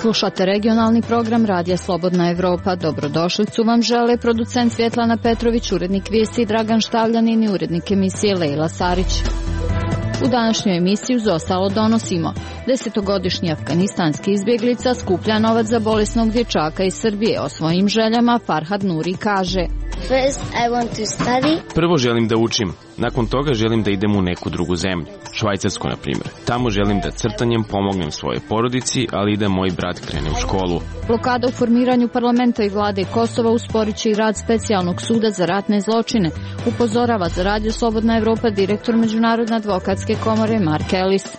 Slušate regionalni program Radija Slobodna Evropa. Dobrodošlicu vam žele producent Svjetlana Petrović, urednik vijesti Dragan Štavljanin i urednik emisije Lejla Sarić. U današnjoj emisiji uz ostalo donosimo: 10-godišnji afganistanski izbjeglica skuplja novac za bolesnog dječaka iz Srbije. O svojim željama Farhad Nuri kaže: Prvo želim da učim, nakon toga želim da idem u neku drugu zemlju, Švajcarsku na primjer. Tamo želim da crtanjem pomognem svojoj porodici, ali i da moj brat krene u školu. Blokada u formiranju parlamenta i vlade Kosova usporit će i rad specijalnog suda za ratne zločine, upozorava za Radio Slobodna Evropa direktor Međunarodne advokatske komore Mark Ellis.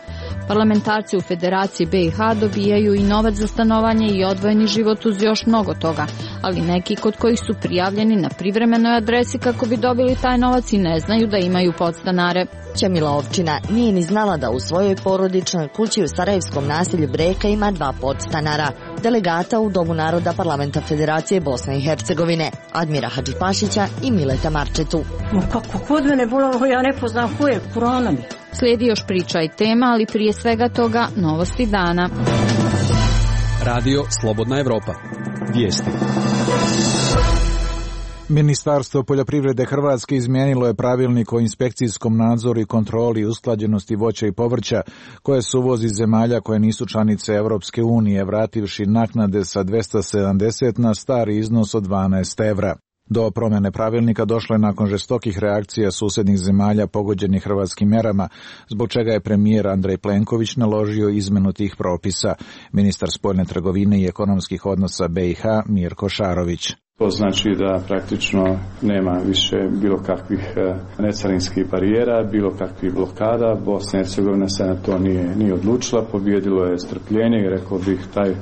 Parlamentarci u Federaciji BiH dobijaju i novac za stanovanje i odvojeni život uz još mnogo toga, ali neki kod kojih su prijavljeni na privremenoj adresi kako bi dobili taj novac i ne znaju da imaju podstanare. Ćemila Ovčina nije ni znala da u svojoj porodičnoj kući u sarajevskom naselju Breka ima 2 podstanara, delegata u Domu naroda Parlamenta Federacije Bosne i Hercegovine, Admira Hadžipašića i Mileta Marčetu. Kako kod mene bolalo, ja ne poznam ko je, korona mi. Slijedi još priča i tema, ali prije svega toga novosti dana. Radio Slobodna Evropa. Vijesti. Ministarstvo poljoprivrede Hrvatske izmijenilo je pravilnik o inspekcijskom nadzoru i kontroli i usklađenosti voća i povrća koje se uvozi iz zemalja koje nisu članice Europske unije, vrativši naknade sa 270 na stari iznos od 12 evra. Do promjene pravilnika došlo je nakon žestokih reakcija susjednih zemalja pogođenih hrvatskim mjerama, zbog čega je premijer Andrej Plenković naložio izmjenu tih propisa. Ministar spoljne trgovine i ekonomskih odnosa BiH Mirko Šarović. To znači da praktično nema više bilo kakvih necarinskih barijera, bilo kakvih blokada. Bosna i Hercegovina se na to nije odlučila, pobijedilo je strpljenje i rekao bih taj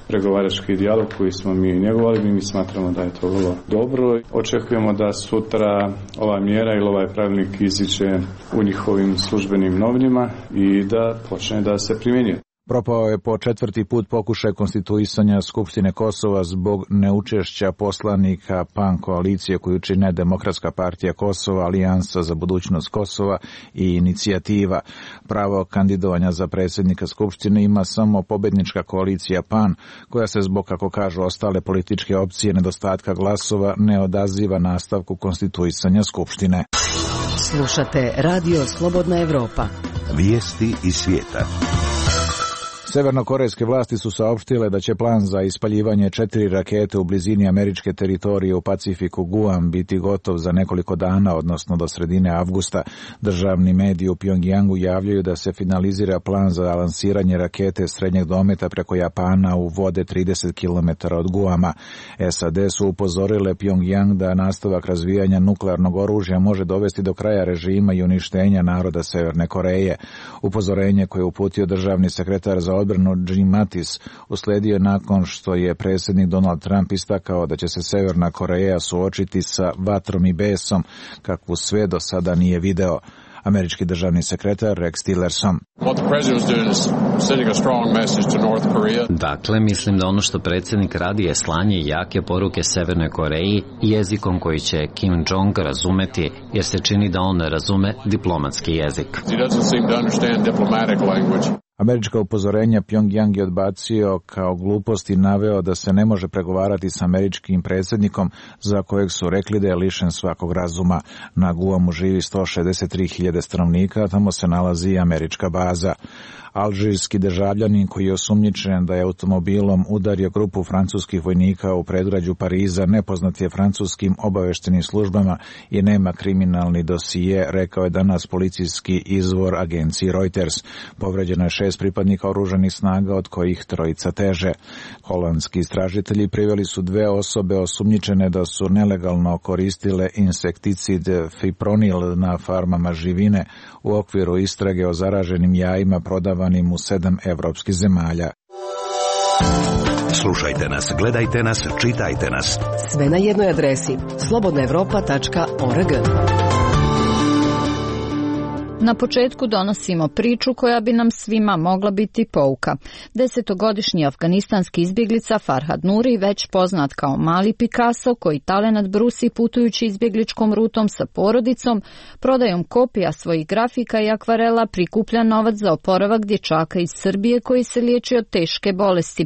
pregovarački dijalog koji smo mi njegovali, mi smatramo da je to vrlo dobro. Očekujemo da sutra ova mjera ili ovaj pravilnik iziđe u njihovim službenim novinama i da počne da se primjenjuje. Propao je po 4. put pokušaj konstituisanja Skupštine Kosova zbog neučešća poslanika PAN koalicije koju čine Demokratska partija Kosova, Alijansa za budućnost Kosova i Inicijativa. Pravo kandidovanja za predsjednika Skupštine ima samo pobjednička koalicija PAN, koja se zbog, kako kažu ostale političke opcije, nedostatka glasova ne odaziva nastavku konstituisanja Skupštine. Slušate Radio Slobodna Evropa. Vijesti iz svijeta. Severnokorejske vlasti su saopštile da će plan za ispaljivanje 4 rakete u blizini američke teritorije u Pacifiku Guam biti gotov za nekoliko dana, odnosno do sredine avgusta. Državni mediji u Pjongjangu javljaju da se finalizira plan za lansiranje rakete srednjeg dometa preko Japana u vode 30 km od Guama. SAD su upozorile Pjongjang da nastavak razvijanja nuklearnog oružja može dovesti do kraja režima i uništenja naroda Severne Koreje. Upozorenje koje je uputio državni sekretar za odbranu Jim Mattis uslijedio nakon što je predsjednik Donald Trump istakao da će se Severna Koreja suočiti sa vatrom i besom kakvu sve do sada nije video. Američki državni sekretar Rex Tillerson. Dakle, mislim da ono što predsjednik radi je slanje jake poruke Severnoj Koreji jezikom koji će Kim Jong razumeti, jer se čini da on ne razume diplomatski jezik. Američka upozorenja Pjongjang je odbacio kao glupost i naveo da se ne može pregovarati s američkim predsjednikom za kojeg su rekli da je lišen svakog razuma. Na Guamu živi 163.000 stanovnika, a tamo se nalazi i američka baza. Alžirski državljanin koji je osumnjičen da je automobilom udario grupu francuskih vojnika u predgrađu Pariza nepoznat je francuskim obavještajnim službama i nema kriminalni dosije, rekao je danas policijski izvor agenciji Reuters. Povređeno je 6 pripadnika oružanih snaga, od kojih 3 teže. Holandski istražitelji priveli su 2 osobe osumnjičene da su nelegalno koristile insekticid fipronil na farmama živine u okviru istrage o zaraženim jajima prodavanim u 7 evropskih zemalja. Slušajte nas, gledajte nas, čitajte nas. Sve na jednoj adresi slobodnaevropa.org. Na početku donosimo priču koja bi nam svima mogla biti pouka. 10-godišnji afganistanski izbjeglica Farhad Nuri, već poznat kao Mali Picasso, koji talenat brusi putujući izbjegličkom rutom sa porodicom, prodajom kopija svojih grafika i akvarela prikuplja novac za oporavak dječaka iz Srbije koji se liječi od teške bolesti.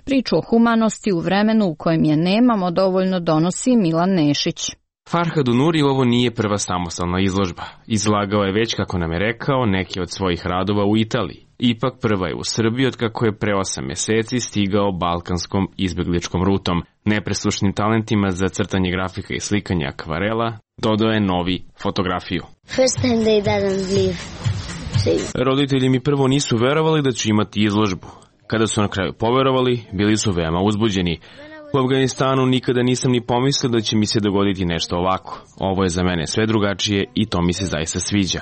Priču o humanosti u vremenu u kojem je nemamo dovoljno donosi Milan Nešić. Farhadu Nuri ovo nije prva samostalna izložba. Izlagao je već, kako nam je rekao, neke od svojih radova u Italiji. Ipak prva je u Srbiji od kako je pre 8 mjeseci stigao balkanskom izbjegličkom rutom. Nepresušnim talentima za crtanje grafika i slikanje akvarela dodao je novi fotografiju. Roditelji mi prvo nisu verovali da ću imati izložbu. Kada su na kraju poverovali, bili su veoma uzbuđeni. U Afganistanu nikada nisam ni pomislio da će mi se dogoditi nešto ovako. Ovo je za mene sve drugačije i to mi se zaista sviđa.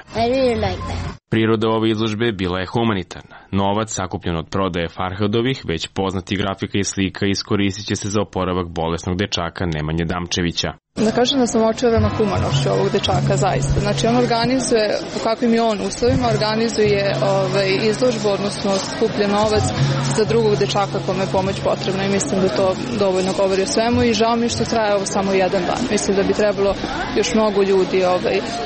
Priroda ove izložbe bila je humanitarna. Novac sakupljen od prodaje Farhadovih, već poznati grafika i slika, iskoristit će se za oporavak bolesnog dečaka Nemanje Damčevića. Da kažem da sam očarana humanošću ovog dečaka, zaista. Znači on organizuje, u kakvim je on uslovima, organizuje izložbu, odnosno skuplja novac za drugog dečaka kome je pomoć potrebna i mislim da to dovoljno govori o svemu i žao mi što traje ovo samo jedan dan. Mislim da bi trebalo još mnogo ljudi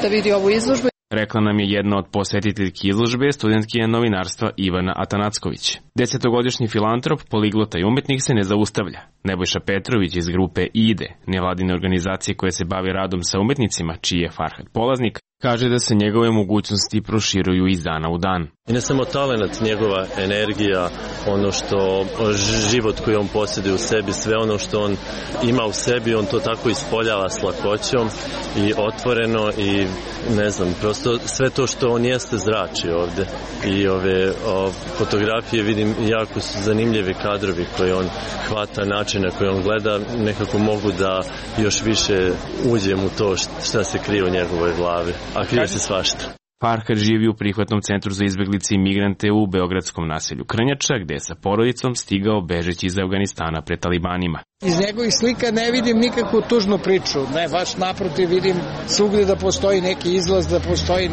da vidi ovu izložbu. Rekla nam je jedna od posjetiteljki izložbe, studentkinja novinarstva Ivana Atanacković. 10-godišnji filantrop, poliglota i umetnik se ne zaustavlja. Nebojša Petrović iz grupe IDE, nevladine organizacije koje se bavi radom sa umetnicima, čiji je Farhad polaznik, kaže da se njegove mogućnosti proširuju iz dana u dan. I ne samo talent, njegova energija, ono što život koji on posjeduje u sebi, sve ono što on ima u sebi, on to tako ispoljava s lakoćom i otvoreno i ne znam, prosto sve to što on jeste zrači ovdje. I ove fotografije vidim jako su zanimljivi kadrovi koje on hvata, načine koje on gleda, nekako mogu da još više uđem u to šta se krije u njegovoj glavi, a krije se svašta. Farhad živi u prihvatnom centru za izbjeglice i migrante u beogradskom naselju Krnjača, gde je sa porodicom stigao bežeći iz Afganistana pred talibanima. Iz njegovih slika ne vidim nikakvu tužnu priču, ne, baš naprotiv vidim svugdje da postoji neki izlaz, da postoji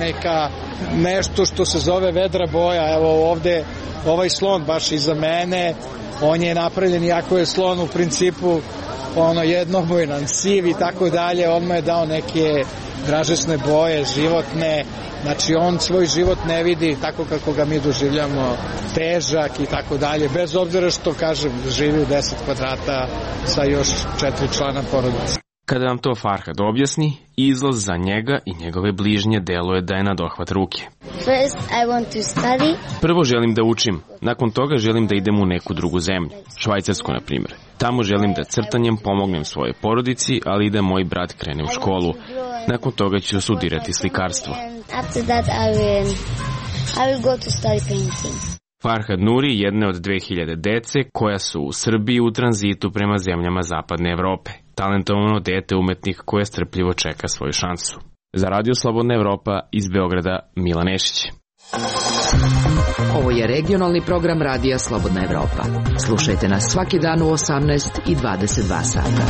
nešto što se zove vedra boja. Evo ovdje ovaj slon baš iza mene, on je napravljen, iako je slon u principu jednobojan, siv i tako dalje, on mu je dao neke dražesne boje, životne. Znači on svoj život ne vidi tako kako ga mi doživljamo, težak i tako dalje, bez obzira što, kažem, živi u 10 kvadrata sa još 4 člana porodice. Kada nam to Farhad objasni, izlaz za njega i njegove bližnje deluje da je na dohvat ruke. Prvo želim da učim, nakon toga želim da idem u neku drugu zemlju, Švajcarsku na primjer. Tamo želim da crtanjem pomognem svojoj porodici, ali i da moj brat krene u školu. Nakon toga ću studirati slikarstvo. Farhad Nuri jedne od 2000 dece koja su u Srbiji u tranzitu prema zemljama Zapadne Evrope. Talentovano dete umetnik koje strpljivo čeka svoju šansu. Za Radio Slobodna Evropa iz Beograda, Milan Nešić. Ovo je regionalni program Radija Slobodna Evropa. Slušajte nas svaki dan u 18 i 22 sata.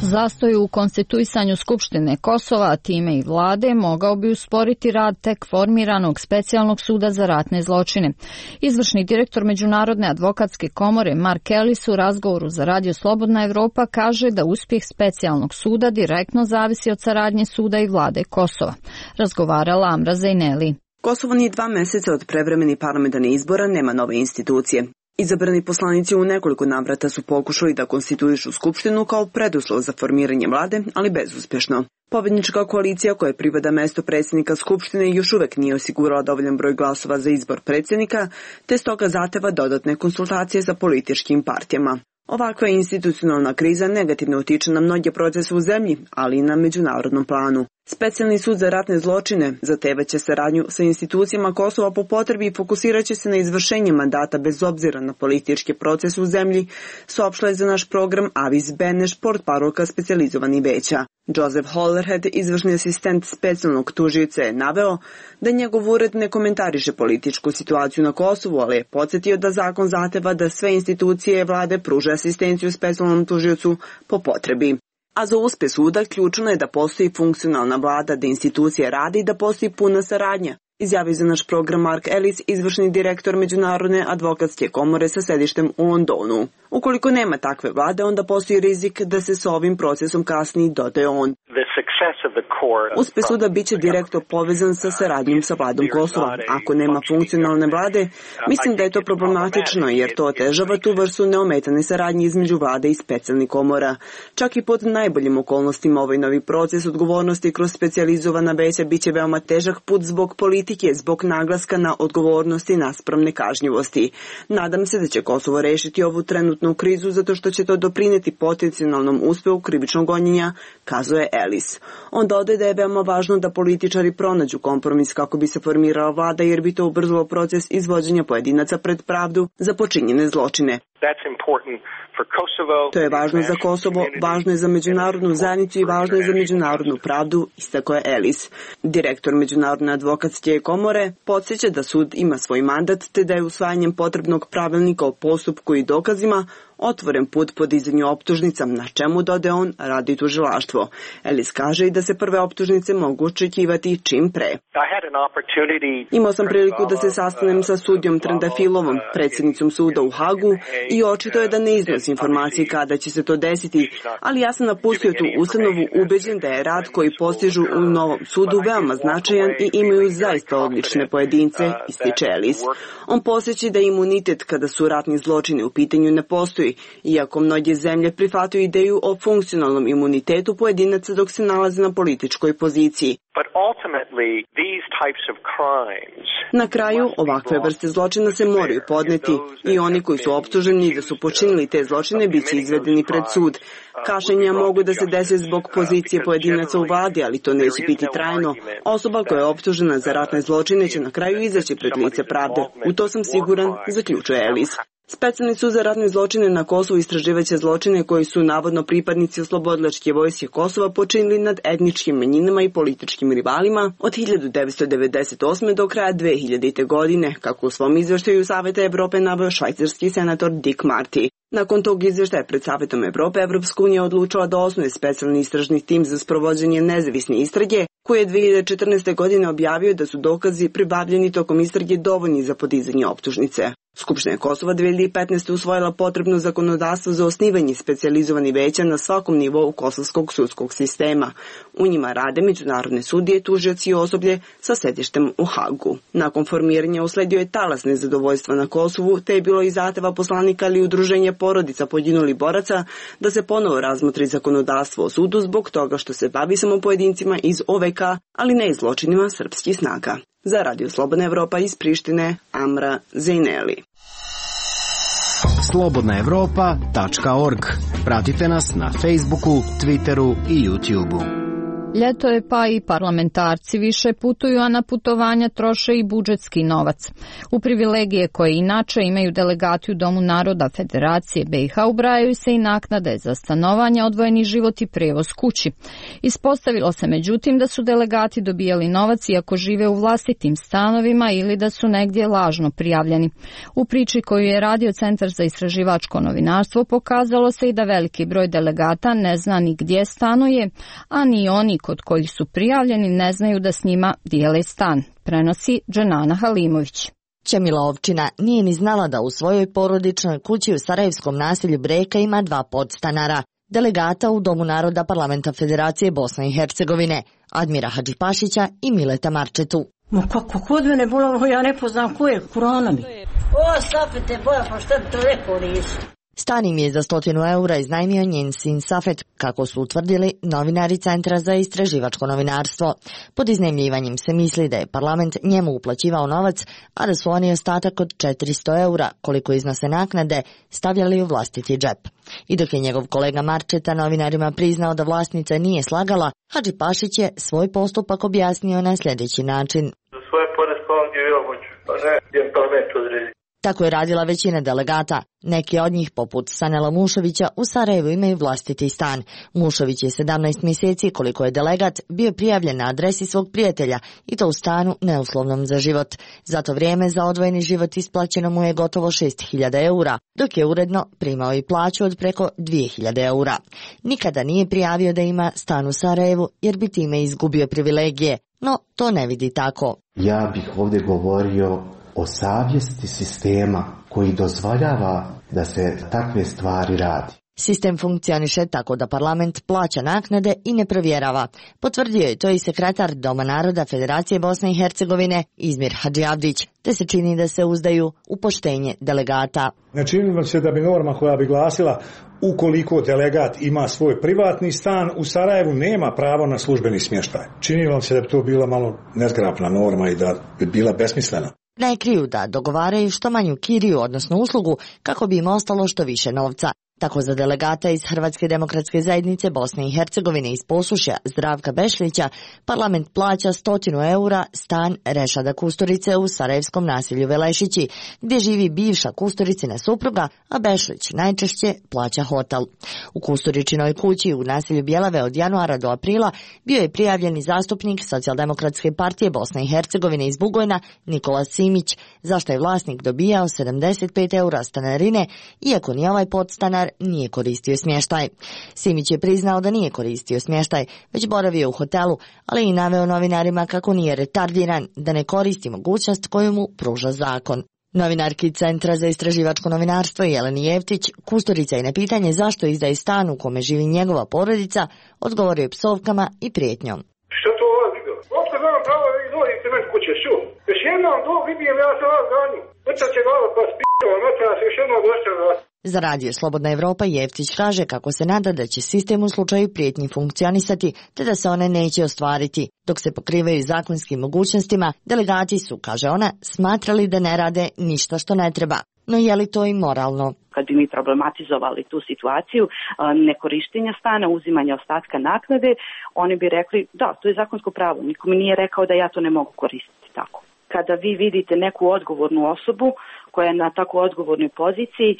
Zastoj u konstituisanju Skupštine Kosova, a time i vlade, mogao bi usporiti rad tek formiranog specijalnog suda za ratne zločine. Izvršni direktor Međunarodne advokatske komore Mark Ellis u razgovoru za Radio Slobodna Evropa kaže da uspjeh specijalnog suda direktno zavisi od saradnje suda i vlade Kosova. Razgovarala Amra Zejneli. Kosovo nije 2 mjeseca od prevremenih parlamentarnih izbora, nema nove institucije. Izabrani poslanici u nekoliko navrata su pokušali da konstituišu skupštinu kao preduslov za formiranje vlade, ali bezuspješno. Pobjednička koalicija koja pripada mesto predsjednika skupštine još uvijek nije osigurala dovoljan broj glasova za izbor predsjednika, te stoga zahteva dodatne konsultacije sa političkim partijama. Ovakva institucionalna kriza negativno utiče na mnoge procese u zemlji, ali i na međunarodnom planu. Specijalni sud za ratne zločine zahtevaće saradnju sa institucijama Kosova po potrebi i fokusirat će se na izvršenje mandata bez obzira na politički proces u zemlji, saopštila je za naš program Avis Beneš, portparolka specijalizovanih veća. Joseph Hollerhead, izvršni asistent specijalnog tužioca, je naveo da njegov ured ne komentariše političku situaciju na Kosovu, ali je podsjetio da zakon zahteva da sve institucije vlade pruže asistenciju specijalnom tužiocu po potrebi. A za uspeh suda ključno je da postoji funkcionalna vlada, da institucije rade i da postoji puna saradnja, izjavio za naš program Mark Ellis, izvršni direktor Međunarodne advokatske komore sa sedištem u Londonu. Ukoliko nema takve vlade, onda postoji rizik da se sa ovim procesom kasni, dodaje on. Uspeh suda biće direktno povezan sa saradnjom sa vladom Kosova. Ako nema funkcionalne vlade, mislim da je to problematično jer to otežava tu vrstu neometane saradnje između vlade i specijalnih komora. Čak i pod najboljim okolnostima ovaj novi proces odgovornosti kroz specijalizovana veća biće veoma težak put zbog politike, zbog naglaska na odgovornosti naspram nekažnjivosti. Nadam se da će Kosovo rešiti ovu trenutnu krizu zato što će to doprineti potencijalnom uspehu krivičnog gonjenja, kazuje Ellis. On dodaje da je veoma važno da političari pronađu kompromis kako bi se formirala vlada jer bi to ubrzalo proces izvođenja pojedinaca pred pravdu za počinjene zločine. To je važno za Kosovo, važno je za međunarodnu zajednicu i važno je za međunarodnu pravdu, istakao je Ellis. Direktor Međunarodne advokatske komore podsjeća da sud ima svoj mandat te da je usvajanjem potrebnog pravilnika o postupku i dokazima otvoren put podizanju optužnica, na čemu, dodaje on, radi tužilaštvo. Ellis kaže i da se prve optužnice mogu očekivati čim pre. Imao sam priliku da se sastanem sa sudijom Trendafilovom, predsjednicom suda u Hagu, i očito je da ne iznosi informacije kada će se to desiti, ali ja sam napustio tu ustanovu ubeđen da je rad koji postižu u novom sudu veoma značajan i imaju zaista odlične pojedince, ističe Ellis. On posjeća da imunitet kada su ratni zločini u pitanju ne postoji, iako mnoge zemlje prihvataju ideju o funkcionalnom imunitetu pojedinaca dok se nalaze na političkoj poziciji. Na kraju, ovakve vrste zločina se moraju podneti i oni koji su optuženi da su počinili te zločine biće izvedeni pred sud. Kašnjenja mogu da se dese zbog pozicije pojedinaca u vladi, ali to neće biti trajno. Osoba koja je optužena za ratne zločine će na kraju izaći pred lice pravde. U to sam siguran, zaključuje Ellis. Specijalni sud za ratne zločine na Kosovu istraživaće zločine koji su navodno pripadnici oslobodilačke vojske Kosova počinili nad etničkim manjinama i političkim rivalima od 1998. do kraja 2000. godine, kako u svom izveštaju Saveta Evrope naveo švajcarski senator Dick Marty. Nakon tog izveštaja pred Savetom Evrope, Evropska unija odlučila da osnuje specijalni istražni tim za sprovođenje nezavisne istrage, koji je 2014. godine objavio da su dokazi pribavljeni tokom istrage dovoljni za podizanje optužnice. Skupština Kosova 2015. usvojila potrebno zakonodavstvo za osnivanje specijalizovanih veća na svakom nivou kosovskog sudskog sistema. U njima rade međunarodne sudije, tužioci i osoblje sa sedištem u Hagu. Nakon formiranja usledio je talas nezadovoljstva na Kosovu, te je bilo i zahteva poslanika ili udruženja porodica poginulih boraca da se ponovo razmotri zakonodavstvo o sudu zbog toga što se bavi samo pojedincima iz OVK, ali ne i zločinima srpskih snaga. Za Radio Slobodna Evropa iz Prištine, Amra Zejneli. slobodnaevropa.org. Pratite nas na Facebooku, Twitteru i YouTubeu. Ljeto je pa i parlamentarci više putuju, a na putovanja troše i budžetski novac. U privilegije koje inače imaju delegati u Domu naroda Federacije BiH ubrajaju se i naknade za stanovanje, odvojeni život i prevoz kući. Ispostavilo se međutim da su delegati dobijali novac iako žive u vlastitim stanovima ili da su negdje lažno prijavljeni. U priči koju je radio Centar za istraživačko novinarstvo pokazalo se i da veliki broj delegata ne zna ni gdje stanuje, a ni oni kod kojih su prijavljeni ne znaju da s njima dijele stan, prenosi Dženana Halimović. Ćemila Ovčina nije ni znala da u svojoj porodičnoj kući u sarajevskom naselju Breka ima 2 podstanara, delegata u Domu naroda Parlamenta Federacije Bosne i Hercegovine, Admira Hadžipašića i Mileta Marčetu. Ma kako kod mene bilo, ja ne poznam ko je, Kurana mi. O, Safete, boja, pa šta bi to rekao nisi? Stan im je za 100 eura iznajmio njen sin Safet, kako su utvrdili novinari Centra za istraživačko novinarstvo. Pod iznajmljivanjem se misli da je parlament njemu uplaćivao novac, a da su oni ostatak od 400 eura, koliko iznose naknade, stavljali u vlastiti džep. I dok je njegov kolega Marčeta novinarima priznao da vlasnica nije slagala, Hadžipašić je svoj postupak objasnio na sljedeći način. Za svoje pore spavam gdje ja hoću, pa ne, jedan parlament odredi. Tako je radila većina delegata. Neki od njih, poput Sanela Mušovića, u Sarajevu imaju vlastiti stan. Mušović je 17 mjeseci, koliko je delegat, bio prijavljen na adresi svog prijatelja i to u stanu neuslovnom za život. Za to vrijeme za odvojeni život isplaćeno mu je gotovo 6.000 eura, dok je uredno primao i plaću od preko 2.000 eura. Nikada nije prijavio da ima stan u Sarajevu jer bi time izgubio privilegije, no to ne vidi tako. Ja bih ovdje govorio o savjesti sistema koji dozvoljava da se takve stvari radi. Sistem funkcioniše tako da parlament plaća naknade i ne provjerava. Potvrdio je to i sekretar Doma naroda Federacije Bosne i Hercegovine Izmir Hadžiavdić, te se čini da se uzdaju u poštenje delegata. Ne čini vam se da bi norma koja bi glasila ukoliko delegat ima svoj privatni stan u Sarajevu nema pravo na službeni smještaj. Čini vam se da bi to bila malo nezgrapna norma i da bi bila besmislena. Ne kriju da dogovaraju što manju kiriju, odnosno uslugu, kako bi im ostalo što više novca. Tako za delegata iz Hrvatske demokratske zajednice Bosne i Hercegovine iz Posušja Zdravka Bešlića parlament plaća 100 eura stan Rešada Kusturice u sarajevskom naselju Velešići, gdje živi bivša Kusturicina supruga, a Bešlić najčešće plaća hotel. U Kusturičinoj kući u naselju Bjelave od januara do aprila bio je prijavljeni zastupnik Socijaldemokratske partije Bosne i Hercegovine iz Bugojna Nikola Simić, zašto je vlasnik dobijao 75 eura stanarine, iako ni ovaj podstanar nije koristio smještaj. Simić je priznao da nije koristio smještaj, već boravio u hotelu, ali i naveo novinarima kako nije retardiran, da ne koristi mogućnost koju mu pruža zakon. Novinarki Centra za istraživačko novinarstvo Jeleni Jevtić, Kusturica je na pitanje zašto izdaje stan u kome živi njegova porodica, odgovorio je psovkama i prijetnjom. Što to vas vidio? Uopšte znam pravo da vi dolazite meni kuće, što? Još jednom vidim, ja se vas ganju. Vrta će glava pa spio, noća se još jednom došće vas. Za Radio Slobodna Evropa Jevtić kaže kako se nada da će sistem u slučaju prijetnji funkcionisati, te da se one neće ostvariti. Dok se pokrivaju zakonskim mogućnostima, delegati su, kaže ona, smatrali da ne rade ništa što ne treba. No je li to i moralno? Kad bi mi problematizovali tu situaciju nekorištenja stana, uzimanja ostatka naknade, oni bi rekli da, to je zakonsko pravo, niko mi nije rekao da ja to ne mogu koristiti tako. Kada vi vidite neku odgovornu osobu koja je na tako odgovornoj poziciji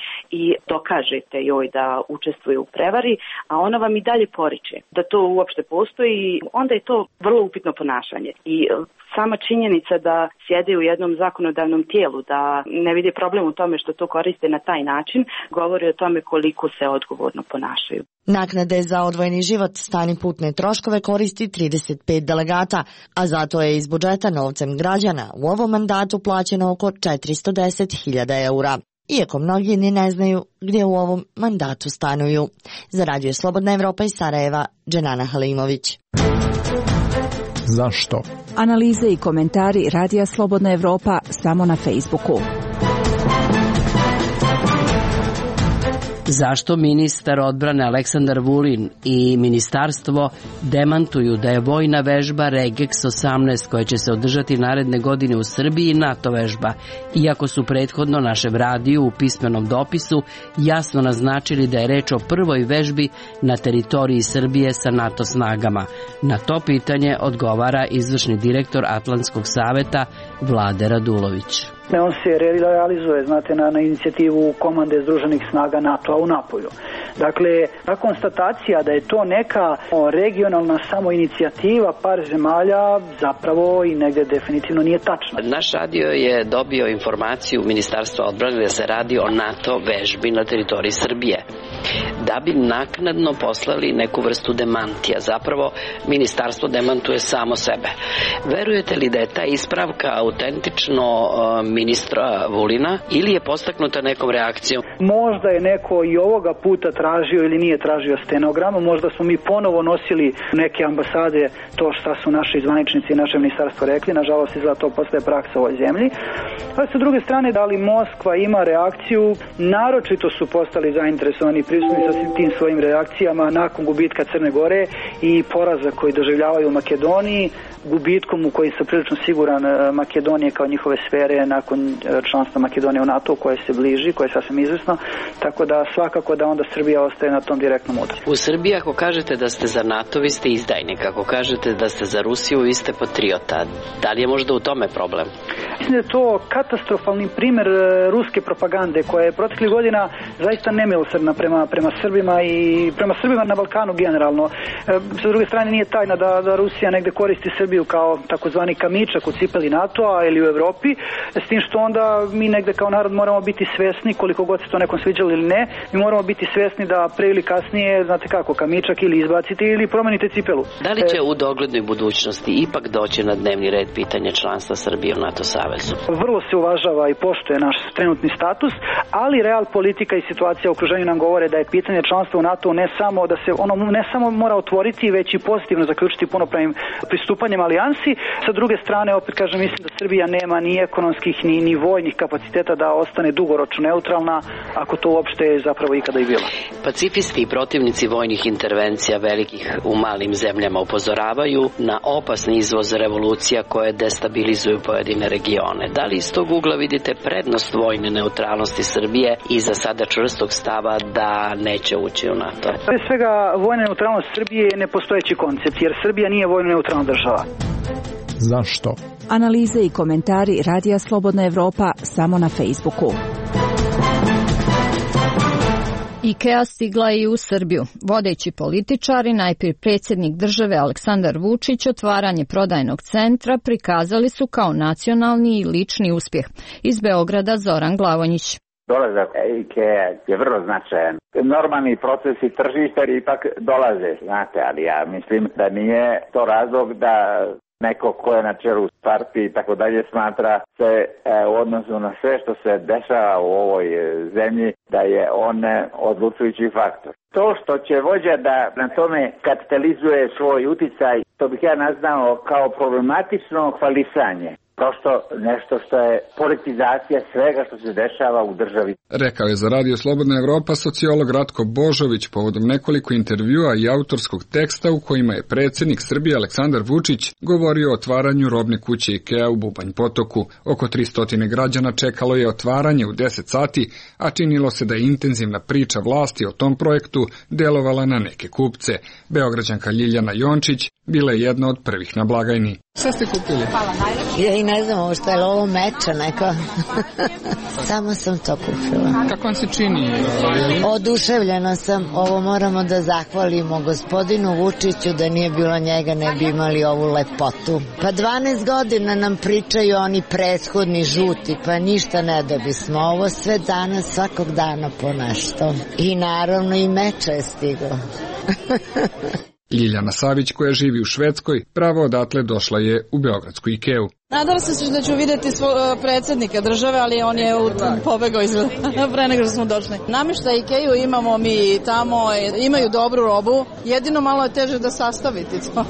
i dokažete joj da učestvuje u prevari, a ona vam i dalje poriče da to uopšte postoji, onda je to vrlo upitno ponašanje. I sama činjenica da sjede u jednom zakonodavnom tijelu, da ne vidi problem u tome što to koriste na taj način, govori o tome koliko se odgovorno ponašaju. Naknade za odvojeni život, stan i putne troškove koristi 35 delegata, a zato je iz budžeta novcem građana u ovom mandatu plaćeno oko 410.000 eura. Iako mnogi ni ne znaju gdje u ovom mandatu stanuju. Za Radio Slobodna Evropa iz Sarajeva, Dženana Halimović. Zašto? Analize i komentari Radija Slobodna Evropa samo na Facebooku. Zašto ministar odbrane Aleksandar Vulin i ministarstvo demantuju da je vojna vežba Regex 18 koja će se održati naredne godine u Srbiji NATO vežba, iako su prethodno našem radiju u pismenom dopisu jasno naznačili da je reč o prvoj vežbi na teritoriji Srbije sa NATO snagama? Na to pitanje odgovara izvršni direktor Atlantskog saveta Vlade Radulović. On se realizuje, znate, na inicijativu komande Združenih snaga NATO-a u Napolju. Dakle, ta konstatacija da je to neka regionalna samoinicijativa par zemalja zapravo i negdje definitivno nije tačna. Naš radio je dobio informaciju Ministarstva odbrane da se radi o NATO vežbi na teritoriji Srbije. Da bi naknadno poslali neku vrstu demantija. Zapravo, ministarstvo demantuje samo sebe. Verujete li da je ta ispravka autentično ministra Vulina ili je postaknuta nekom reakcijom? Možda je neko i ovoga puta tražio ili nije tražio stenogram, možda smo mi ponovo nosili neke ambasade to šta su naši zvaničnici i naše ministarstvo rekli, nažalost i za to postaje praksa u ovoj zemlji. A sa druge strane, da li Moskva ima reakciju, naročito su postali zainteresovani prisutni sa tim svojim reakcijama nakon gubitka Crne Gore i poraza koji doživljavaju u Makedoniji, gubitkom u koji sam prilično siguran Makedonije kao njihove sfere nakon članstva Makedonije u NATO koje se bliži, koje je sasvim izvesno, tako da svakako da onda Srbija ostaje na tom direktnom uticaju. U Srbiji ako kažete da ste za NATO, vi ste izdajnik, ako kažete da ste za Rusiju, vi ste patriota. Da li je možda u tome problem? Mislim da je to katastrofalni primer ruske propagande koja je proteklih godina zaista nemilosrdna prema Srbima i prema Srbima na Balkanu generalno. Sa druge strane nije tajna da Rusija negde koristi Srbiju kao takozvani kamičak u cipeli NATO-a ili u Evropi, s tim što onda mi negde kao narod moramo biti svesni, koliko god se to nekom sviđalo ili ne, mi moramo biti svesni da pre ili kasnije, znate kako, kamičak ili izbacite ili promenite cipelu. Da li će u doglednoj budućnosti ipak doći na dnevni red pitanje članstva Srbije u NATO savezu? Vrlo se uvažava i poštuje naš trenutni status, ali real politika i situacija u okruženju nam govore da je pitanje članstva u NATO ne samo da se ono ne samo mora otvoriti, već i pozitivno zaključiti punopravnim pristupanjem alijansi. Sa druge strane, opet kažem, mislim da Srbija nema ni ekonomskih ni vojnih kapaciteta da ostane dugoročno neutralna, ako to uopšte je zapravo ikada i bilo. Pacifisti i protivnici vojnih intervencija velikih u malim zemljama upozoravaju na opasni izvoz revolucija koje destabilizuju pojedine regione. Da li iz tog ugla vidite prednost vojne neutralnosti Srbije i za sada čvrstog stava da neće ući u NATO? Pre svega, vojna neutralnost Srbije je nepostojeći koncept, jer Srbija nije vojno neutralna država. Zašto? Analize i komentari Radija Slobodna Evropa samo na Facebooku. IKEA stigla je i u Srbiju. Vodeći političari, najprije predsjednik države Aleksandar Vučić, otvaranje prodajnog centra prikazali su kao nacionalni i lični uspjeh. Iz Beograda Zoran Glavonjić. Dolazak IKEA je vrlo značajan. Normalni procesi tržišta ipak dolaze, znate, ali ja mislim da nije to razlog da neko ko je na čelu partije i tako dalje smatra se u odnosu na sve što se dešava u ovoj zemlji da je on odlučujući faktor. To što će vođa da na tome kapitalizuje svoj uticaj, to bih ja nazvao kao problematično hvalisanje. Prosto nešto što je politizacija svega što se dešava u državi. Rekao je za Radio Slobodna Evropa sociolog Ratko Božović povodom nekoliko intervjua i autorskog teksta u kojima je predsjednik Srbije Aleksandar Vučić govorio o otvaranju robne kuće IKEA u Bubanj Potoku. Oko 300 građana čekalo je otvaranje u 10 sati, a činilo se da je intenzivna priča vlasti o tom projektu delovala na neke kupce. Beograđanka Ljiljana Jončić bila je jedna od prvih na blagajni. Šta ste kupili? Ja i ne znam ovo što je ovo meča neko. Samo sam to kupila. Kako vam se čini? Oduševljena sam. Ovo moramo da zahvalimo gospodinu Vučiću, da nije bilo njega ne bi imali ovu lepotu. Pa 12 godina nam pričaju oni prethodni žuti, pa ništa ne dobismo. Ovo sve danas, svakog dana po nešto. I naravno i meča je stiglo. Ljiljana Savić, koja živi u Švedskoj, pravo odatle došla je u beogradsku IKEA-u. Nadala sam se da ću vidjeti predsjednika države, ali on je pobegao pre nego što smo došli. Namještaj IKEA-u imamo mi tamo, imaju dobru robu, jedino malo je teže da sastaviti to.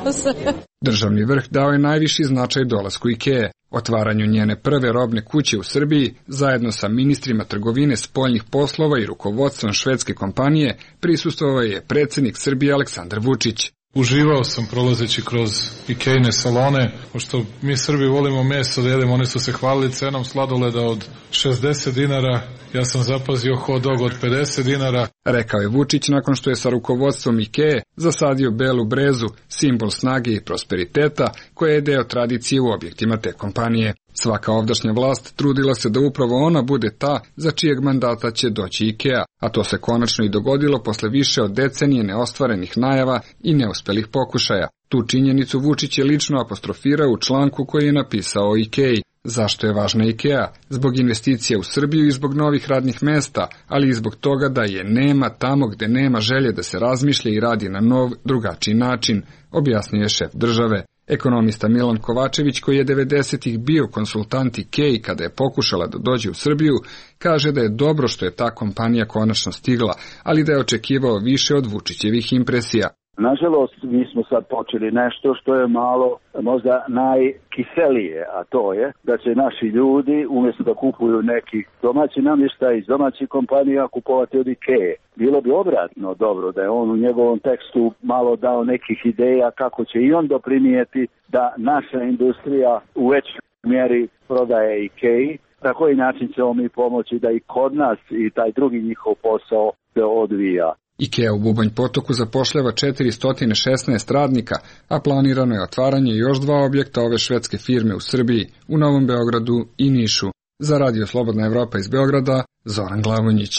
Državni vrh dao je najviši značaj dolasku IKEA, otvaranju njene prve robne kuće u Srbiji, zajedno sa ministrima trgovine, spoljnih poslova i rukovodstvom švedske kompanije, prisustvovao je predsjednik Srbije Aleksandar Vučić. Uživao sam prolazeći kroz IKEA-ine salone, pošto mi Srbi volimo meso da jedemo, oni su se hvalili cenom sladoleda od 60 dinara, ja sam zapazio hot dog od 50 dinara. Rekao je Vučić nakon što je sa rukovodstvom IKEA zasadio belu brezu, simbol snage i prosperiteta, koja je deo tradicije u objektima te kompanije. Svaka ovdašnja vlast trudila se da upravo ona bude ta za čijeg mandata će doći IKEA, a to se konačno i dogodilo posle više od decenije neostvarenih najava i neuspelih pokušaja. Tu činjenicu Vučić je lično apostrofirao u članku koji je napisao o IKEA. Zašto je važna IKEA? Zbog investicija u Srbiju i zbog novih radnih mesta, ali i zbog toga da je nema tamo gde nema želje da se razmišlja i radi na nov, drugačiji način, objasnio je šef države. Ekonomista Milan Kovačević, koji je 90-ih bio konsultant IKEA kada je pokušala da dođe u Srbiju, kaže da je dobro što je ta kompanija konačno stigla, ali da je očekivao više od Vučićevih impresija. Nažalost, mi smo sad počeli nešto što je malo možda najkiselije, a to je da će naši ljudi umjesto da kupuju neki domaći namještaj iz domaćih kompanija kupovati od IKEA. Bilo bi obratno dobro da je on u njegovom tekstu malo dao nekih ideja kako će i on doprinijeti da naša industrija u većoj mjeri prodaje IKEA. Na koji način ćemo mi pomoći da i kod nas i taj drugi njihov posao se odvija. IKEA u Bubanj Potoku zapošljava 416 radnika, a planirano je otvaranje još 2 objekta ove švedske firme u Srbiji, u Novom Beogradu i Nišu. Za Radio Slobodna Evropa iz Beograda, Zoran Glavonjić.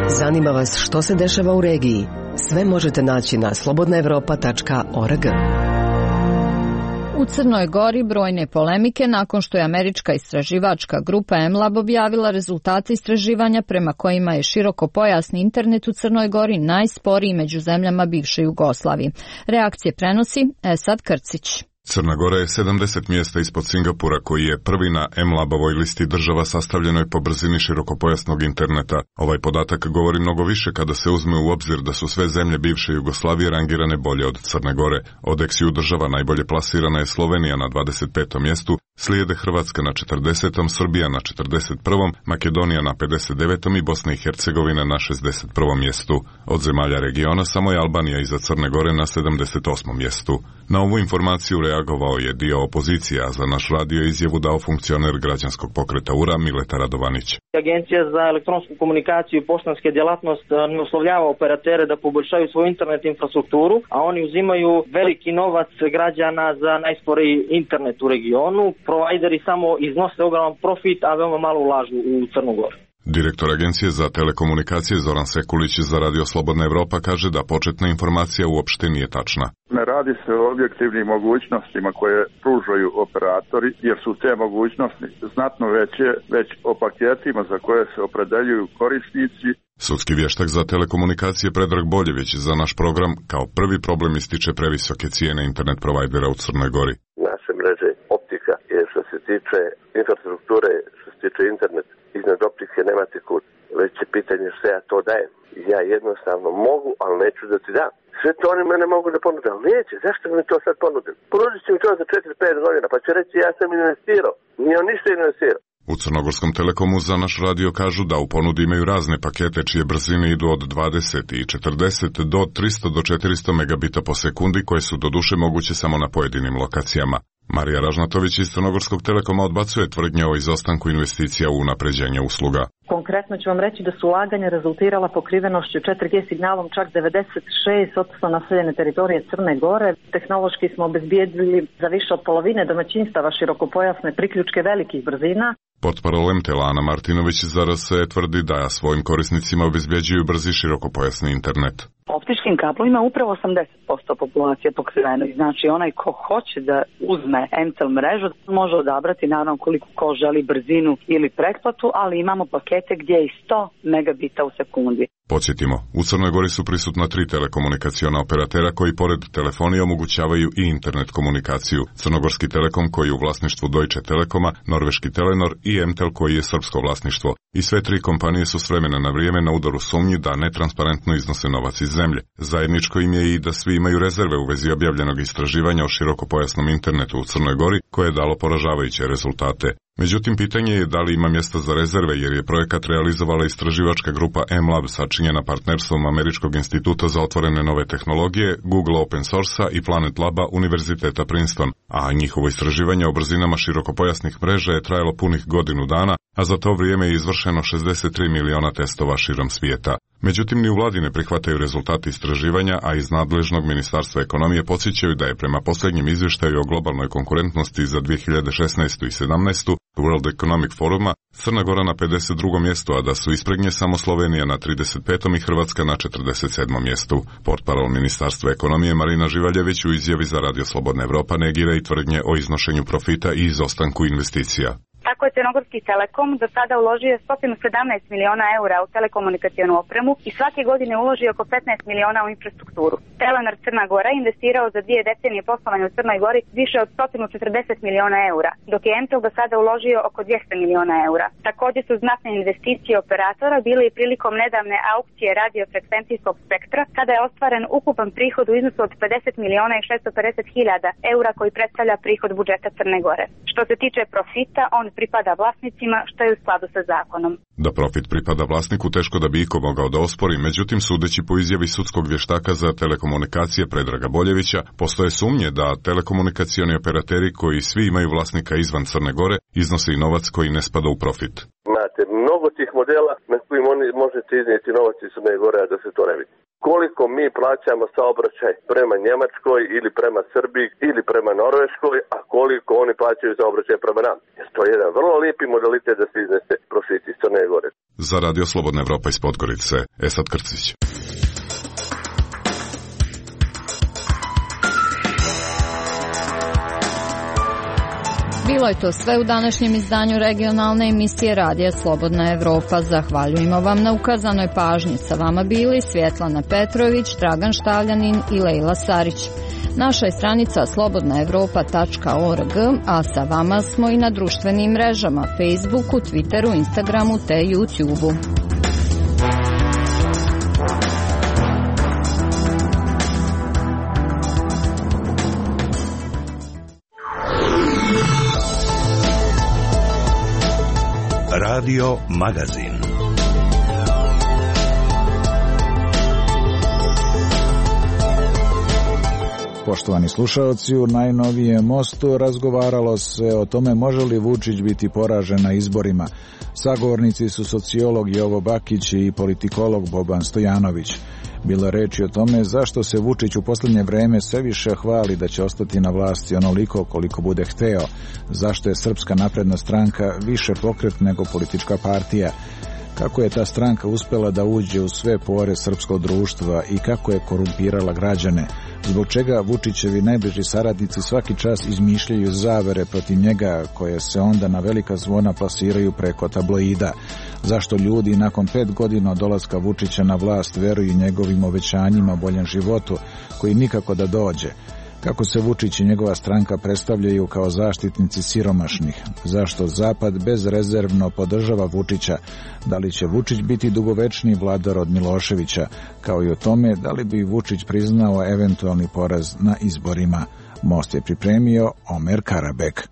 Zanima vas što se dešava u regiji? Sve možete naći na slobodnaevropa.org. U Crnoj Gori brojne polemike nakon što je američka istraživačka grupa MLab objavila rezultate istraživanja prema kojima je širokopojasni internet u Crnoj Gori najsporiji među zemljama bivše Jugoslavije. Reakcije prenosi Esad Krcić. Crna Gora je 70 mjesta ispod Singapura, koji je prvi na MLab-ovoj listi država sastavljenoj po brzini širokopojasnog interneta. Ovaj podatak govori mnogo više kada se uzme u obzir da su sve zemlje bivše Jugoslavije rangirane bolje od Crne Gore. Od ex-ju država najbolje plasirana je Slovenija na 25. mjestu, slijede Hrvatska na 40., Srbija na 41., Makedonija na 59. i Bosna i Hercegovina na 61. mjestu. Od zemalja regiona samo je Albanija iza Crne Gore na 78. mjestu. Na ovu informaciju reagovao je dio opozicije, a za naš radio izjavu dao funkcioner građanskog pokreta URA Mileta Radovanić. Agencija za elektronsku komunikaciju i poštanske djelatnost ne uslovljava operatere da poboljšaju svoju internet infrastrukturu, a oni uzimaju veliki novac građana za najsporiji internet u regionu. Provajderi samo iznose ogroman profit, a veoma malo ulažu u Crnu Goru. Direktor Agencije za telekomunikacije Zoran Sekulić za Radio Slobodna Evropa kaže da početna informacija uopšte nije tačna. Ne radi se o objektivnim mogućnostima koje pružaju operatori, jer su te mogućnosti znatno veće, već o paketima za koje se opredeljuju korisnici. Sudski vještak za telekomunikacije Predrag Boljević za naš program kao prvi problem ističe previsoke cijene internet provajdera u Crnoj Gori. Naše mreže optika je što se tiče infrastrukture, što se tiče internet, iznad optike nemate kud. Već je pitanje što ja to dajem. Ja jednostavno mogu, ali neću da ti dam. Sve to oni mene mogu da ponude, ali neće. Zašto mi to sad ponudili? Ponudit će mi to za 4-5 godina, pa će reći ja sam investirao. Nije on ništa investirao. U Crnogorskom Telekomu za naš radio kažu da u ponudi imaju razne pakete čije brzine idu od 20 i 40 do 300 do 400 megabita po sekundi, koje su doduše moguće samo na pojedinim lokacijama. Marija Ražnatović iz Crnogorskog Telekoma odbacuje tvrdnje o izostanku investicija u unapređenje usluga. Konkretno ću vam reći da su ulaganja rezultirala pokrivenošću 4G signalom čak 96% naseljene teritorije Crne Gore. Tehnološki smo obezbijedili za više od polovine domaćinstava širokopojasne priključke velikih brzina. Portparol MTL-a Ana Martinović za RS tvrdi da svojim korisnicima obezbjeđuju brzi širokopojasni internet. Optičkim kablovima upravo 80% populacije pokriveno. Znači onaj ko hoće da uzme MTL mrežu može odabrati naravno koliko ko želi brzinu ili pretplatu, ali imamo pakete gdje je i 100 megabita u sekundi. Podsjetimo, u Crnoj Gori su prisutna 3 telekomunikaciona operatera koji pored telefonije omogućavaju i internet komunikaciju. Crnogorski Telekom koji je u vlasništvu Deutsche Telekoma, norveški Telenor i MTEL koji je srpsko vlasništvo. I sve 3 kompanije su s vremena na vrijeme na udaru sumnji da netransparentno iznose novac iz zemlje. Zajedničko im je i da svi imaju rezerve u vezi objavljenog istraživanja o širokopojasnom internetu u Crnoj Gori, koje je dalo poražavajuće rezultate. Međutim, pitanje je da li ima mjesta za rezerve, jer je projekat realizovala istraživačka grupa MLab sačinjena partnerstvom Američkog instituta za otvorene nove tehnologije, Google Open Source-a i Planet Laba Univerziteta Princeton, a njihovo istraživanje o brzinama širokopojasnih mreža je trajalo punih godinu dana, a za to vrijeme je izvršeno 63 miliona testova širom svijeta. Međutim, ni u vladi ne prihvataju rezultati istraživanja, a iz nadležnog Ministarstva ekonomije podsjećaju da je prema posljednjem izvještaju o globalnoj konkurentnosti za 2016. i 17. World Economic Foruma Crna Gora na 52. mjestu, a da su ispred nje samo Slovenija na 35. i Hrvatska na 47. mjestu. Portparol Ministarstva ekonomije Marina Živaljević u izjavi za Radio Slobodna Evropa negira i tvrdnje o iznošenju profita i izostanku investicija. Tako je Crnogorski Telekom do sada uložio 117 miliona eura u telekomunikacijonu opremu i svake godine uloži oko 15 miliona u infrastrukturu. Telenor Crna Gora investirao za 2 decenije poslovanja u Crnoj Gori više od 140 miliona eura, dok je MTEL do sada uložio oko 200 miliona eura. Također su znatne investicije operatora bile i prilikom nedavne aukcije radiofrekvencijskog spektra, kada je ostvaren ukupan prihod u iznosu od 50 miliona i 650 hiljada eura koji predstavlja prihod budžeta Crne Gore. Što se tiče profita, on pripada vlasnicima, što je u skladu sa zakonom. Da profit pripada vlasniku teško da bi iko mogao da ospori, međutim sudeći po izjavi sudskog vještaka za telekomunikacije Predraga Boljevića, postoje sumnje da telekomunikacioni operateri koji svi imaju vlasnika izvan Crne Gore iznose i novac koji ne spada u profit. Imate mnogo tih modela na kojim oni možete iznijeti novac iz Crne Gore, a da se to ne vidi. Koliko mi plaćamo saobraćaj prema Njemačkoj ili prema Srbiji ili prema Norveškoj, a koliko oni plaćaju saobraćaj prema nam. Jer to je jedan vrlo lijepi modalitet da se iznese profit iz Crne Gore. Za Radio Slobodna Evropa iz Podgorice, Esad Krcić. Bilo je to sve u današnjem izdanju regionalne emisije Radija Slobodna Evropa. Zahvaljujemo vam na ukazanoj pažnji. Sa vama bili Svjetlana Petrović, Dragan Štavljanin i Lejla Sarić. Naša je stranica slobodnaevropa.org, a sa vama smo i na društvenim mrežama Facebooku, Twitteru, Instagramu te YouTubeu. Radio Magazin. Poštovani slušalci, u najnovijem mostu razgovaralo se o tome može li Vučić biti poražen na izborima. Sagovornici su sociolog Jovo Bakić i politikolog Boban Stojanović. Bilo je reči o tome zašto se Vučić u posljednje vreme sve više hvali da će ostati na vlasti onoliko koliko bude hteo, zašto je Srpska napredna stranka više pokret nego politička partija, kako je ta stranka uspela da uđe u sve pore srpskog društva i kako je korumpirala građane, zbog čega Vučićevi najbliži saradnici svaki čas izmišljaju zavere protiv njega koje se onda na velika zvona plasiraju preko tabloida, zašto ljudi nakon 5 godina od dolaska Vučića na vlast veruju njegovim obećanjima o boljem životu koji nikako da dođe, kako se Vučić i njegova stranka predstavljaju kao zaštitnici siromašnih, zašto Zapad bezrezervno podržava Vučića, da li će Vučić biti dugovečni vladar od Miloševića, kao i o tome da li bi Vučić priznao eventualni poraz na izborima. Most je pripremio Omer Karabek.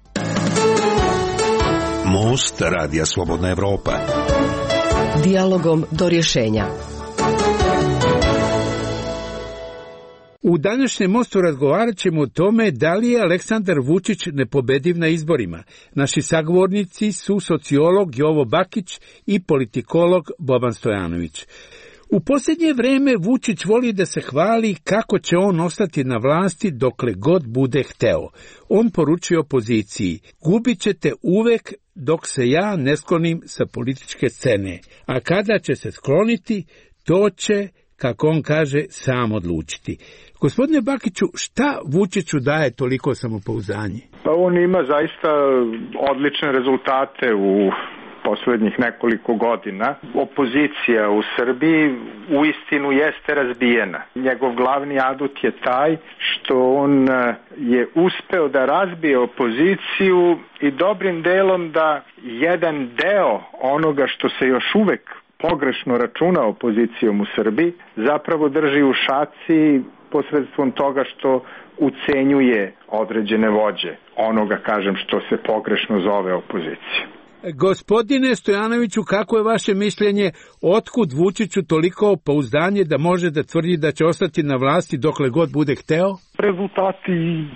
Most Radija Slobodna Evropa. Dijalogom do rješenja. U današnjem mostu razgovarat ćemo o tome da li je Aleksandar Vučić nepobediv na izborima. Naši sagovornici su sociolog Jovo Bakić i politikolog Boban Stojanović. U posljednje vreme Vučić voli da se hvali kako će on ostati na vlasti dokle god bude hteo. On poručuje opoziciji: gubit ćete uvek dok se ja ne sklonim sa političke scene, a kada će se skloniti, to će, kako on kaže, sam odlučiti. Gospodine Bakiću, šta Vučiću daje toliko samopouzdanje? Pa on ima zaista odlične rezultate u poslednjih nekoliko godina. Opozicija u Srbiji uistinu jeste razbijena. Njegov glavni adut je taj što on je uspeo da razbije opoziciju i dobrim delom da jedan deo onoga što se još uvek pogrešno računa opozicijom u Srbiji zapravo drži u šaci posredstvom toga što ucenjuje određene vođe onoga, kažem, što se pogrešno zove opozicija. Gospodine Stojanoviću, kako je vaše mišljenje, otkud Vučiću toliko pouzdanje da može da tvrdi da će ostati na vlasti dokle god bude hteo? Rezultati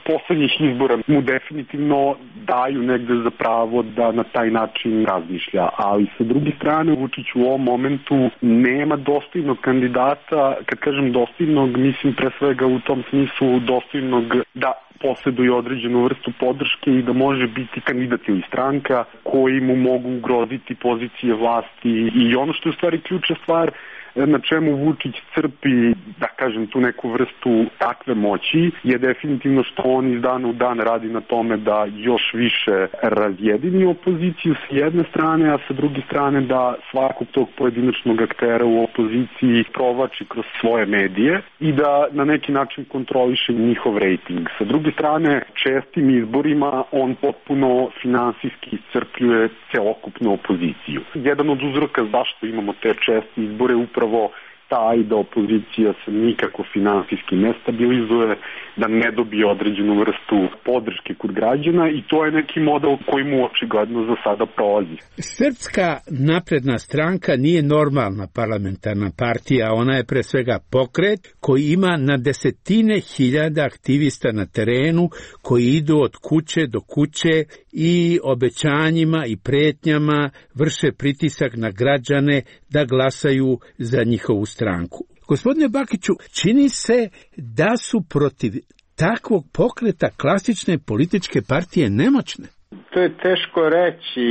poslednjih izbora mu definitivno daju negde za pravo da na taj način razmišlja, ali sa druge strane Vučić u ovom momentu nema dostojnog kandidata. Kad kažem dostojnog, mislim pre svega u tom smislu dostojnog da posjeduje određenu vrstu podrške i da može biti kandidat ili stranka koji mu mogu ugroziti pozicije vlasti. I ono što je u stvari ključna stvar, na čemu Vučić crpi, da kažem, tu neku vrstu takve moći, je definitivno što on iz dana u dan radi na tome da još više razjedini opoziciju s jedne strane, a sa druge strane da svakog tog pojedinačnog aktera u opoziciji provlači kroz svoje medije i da na neki način kontroliše njihov rejting. Sa druge strane, čestim izborima on potpuno finansijski iscrpljuje celokupnu opoziciju. Jedan od uzroka zašto imamo te česte izbore upravo taj da opozicija se nikako finansijski ne stabilizuje, da ne dobije određenu vrstu podrške kod građana i to je neki model koji mu očigledno za sada prolazi. Srpska napredna stranka nije normalna parlamentarna partija, ona je pre svega pokret koji ima na desetine hiljada aktivista na terenu koji idu od kuće do kuće i obećanjima i pretnjama vrše pritisak na građane da glasaju za njihovu stranku. Gospodine Bakiću, čini se da su protiv takvog pokreta klasične političke partije nemoćne. To je teško reći.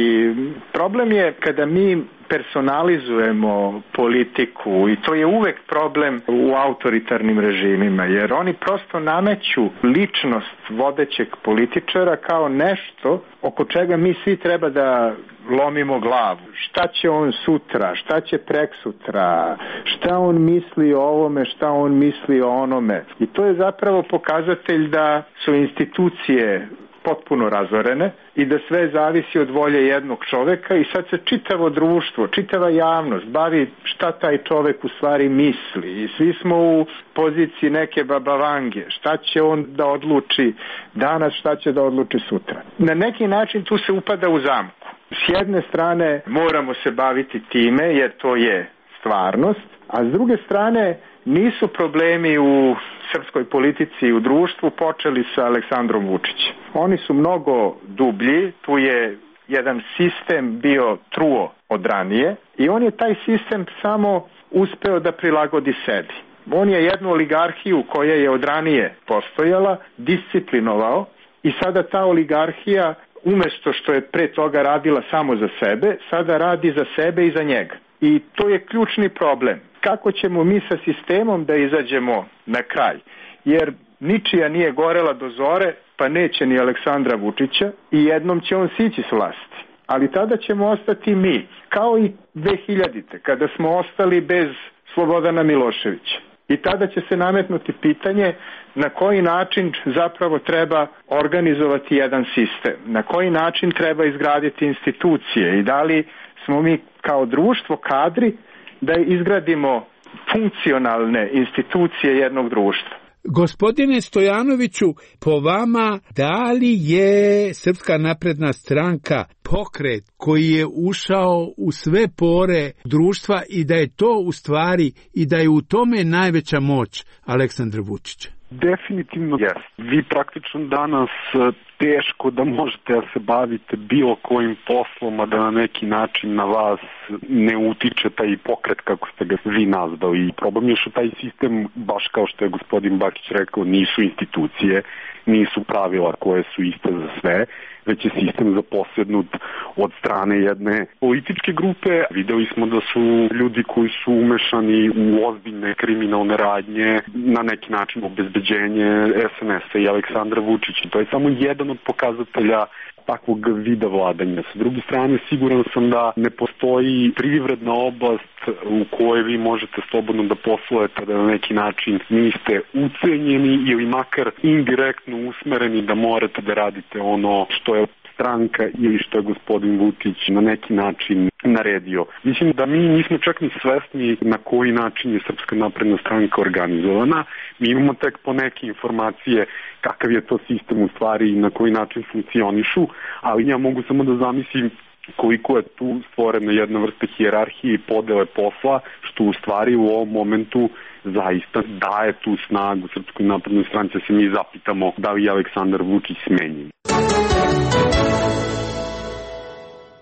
Problem je kada mi personalizujemo politiku i to je uvek problem u autoritarnim režimima, jer oni prosto nameću ličnost vodećeg političara kao nešto oko čega mi svi treba da lomimo glavu. Šta će on sutra, šta će preksutra, šta on misli o ovome, šta on misli o onome. I to je zapravo pokazatelj da su institucije potpuno razorene i da sve zavisi od volje jednog čoveka i sad se čitavo društvo, čitava javnost bavi šta taj čovek u stvari misli i svi smo u poziciji neke babavange, šta će on da odluči danas, šta će da odluči sutra. Na neki način tu se upada u zamku. S jedne strane moramo se baviti time jer to je stvarnost, a s druge strane nisu problemi u srpskoj politici i u društvu počeli sa Aleksandrom Vučićem. Oni su mnogo dublji, tu je jedan sistem bio truo od ranije i on je taj sistem samo uspeo da prilagodi sebi. On je jednu oligarhiju koja je od ranije postojala, disciplinovao i sada ta oligarhija umesto što je pre toga radila samo za sebe, sada radi za sebe i za njega. I to je ključni problem. Kako ćemo mi sa sistemom da izađemo na kraj? Jer ničija nije gorela do zore, pa neće ni Aleksandra Vučića i jednom će on sići s vlasti. Ali tada ćemo ostati mi, kao i 2000-te, kada smo ostali bez Slobodana Miloševića. I tada će se nametnuti pitanje na koji način zapravo treba organizovati jedan sistem, na koji način treba izgraditi institucije i da li smo mi kao društvo kadri da izgradimo funkcionalne institucije jednog društva. Gospodine Stojanoviću, po vama, da li je Srpska napredna stranka pokret koji je ušao u sve pore društva i da je to u stvari i da je u tome najveća moć Aleksandra Vučića? Definitivno jest. Vi praktično danas teško da možete da se bavite bilo kojim poslom, a da na neki način na vas ne utiče taj pokret kako ste ga vi nazvali. Problem je što taj sistem, baš kao što je gospodin Bakić rekao, nisu institucije, nisu pravila koje su iste za sve, već je sistem zaposednut od strane jedne političke grupe. Videli smo da su ljudi koji su umešani u ozbiljne kriminalne radnje, na neki način obezbeđenje SNS-a i Aleksandra Vučića. To je samo jedan od pokazatelja takvog vida vladanja. Sa druge strane, siguran sam da ne postoji privredna oblast u kojoj vi možete slobodno da poslujete, da na neki način niste ucenjeni ili makar indirektno usmereni da morate da radite ono što je stranka ili što je gospodin Vučić na neki način naredio. Mislim da mi nismo čak ni svesni na koji način je Srpska napredna stranka organizovana. Mi imamo tek po neke informacije kakav je to sistem u stvari i na koji način funkcionišu, ali ja mogu samo da zamislim koliko je tu stvorena jedna vrsta hijerarhije i podele posla, što u stvari u ovom momentu zaista daje tu snagu Srpskoj naprednoj stranci, se mi zapitamo da li je Aleksandar Vučić smenjen.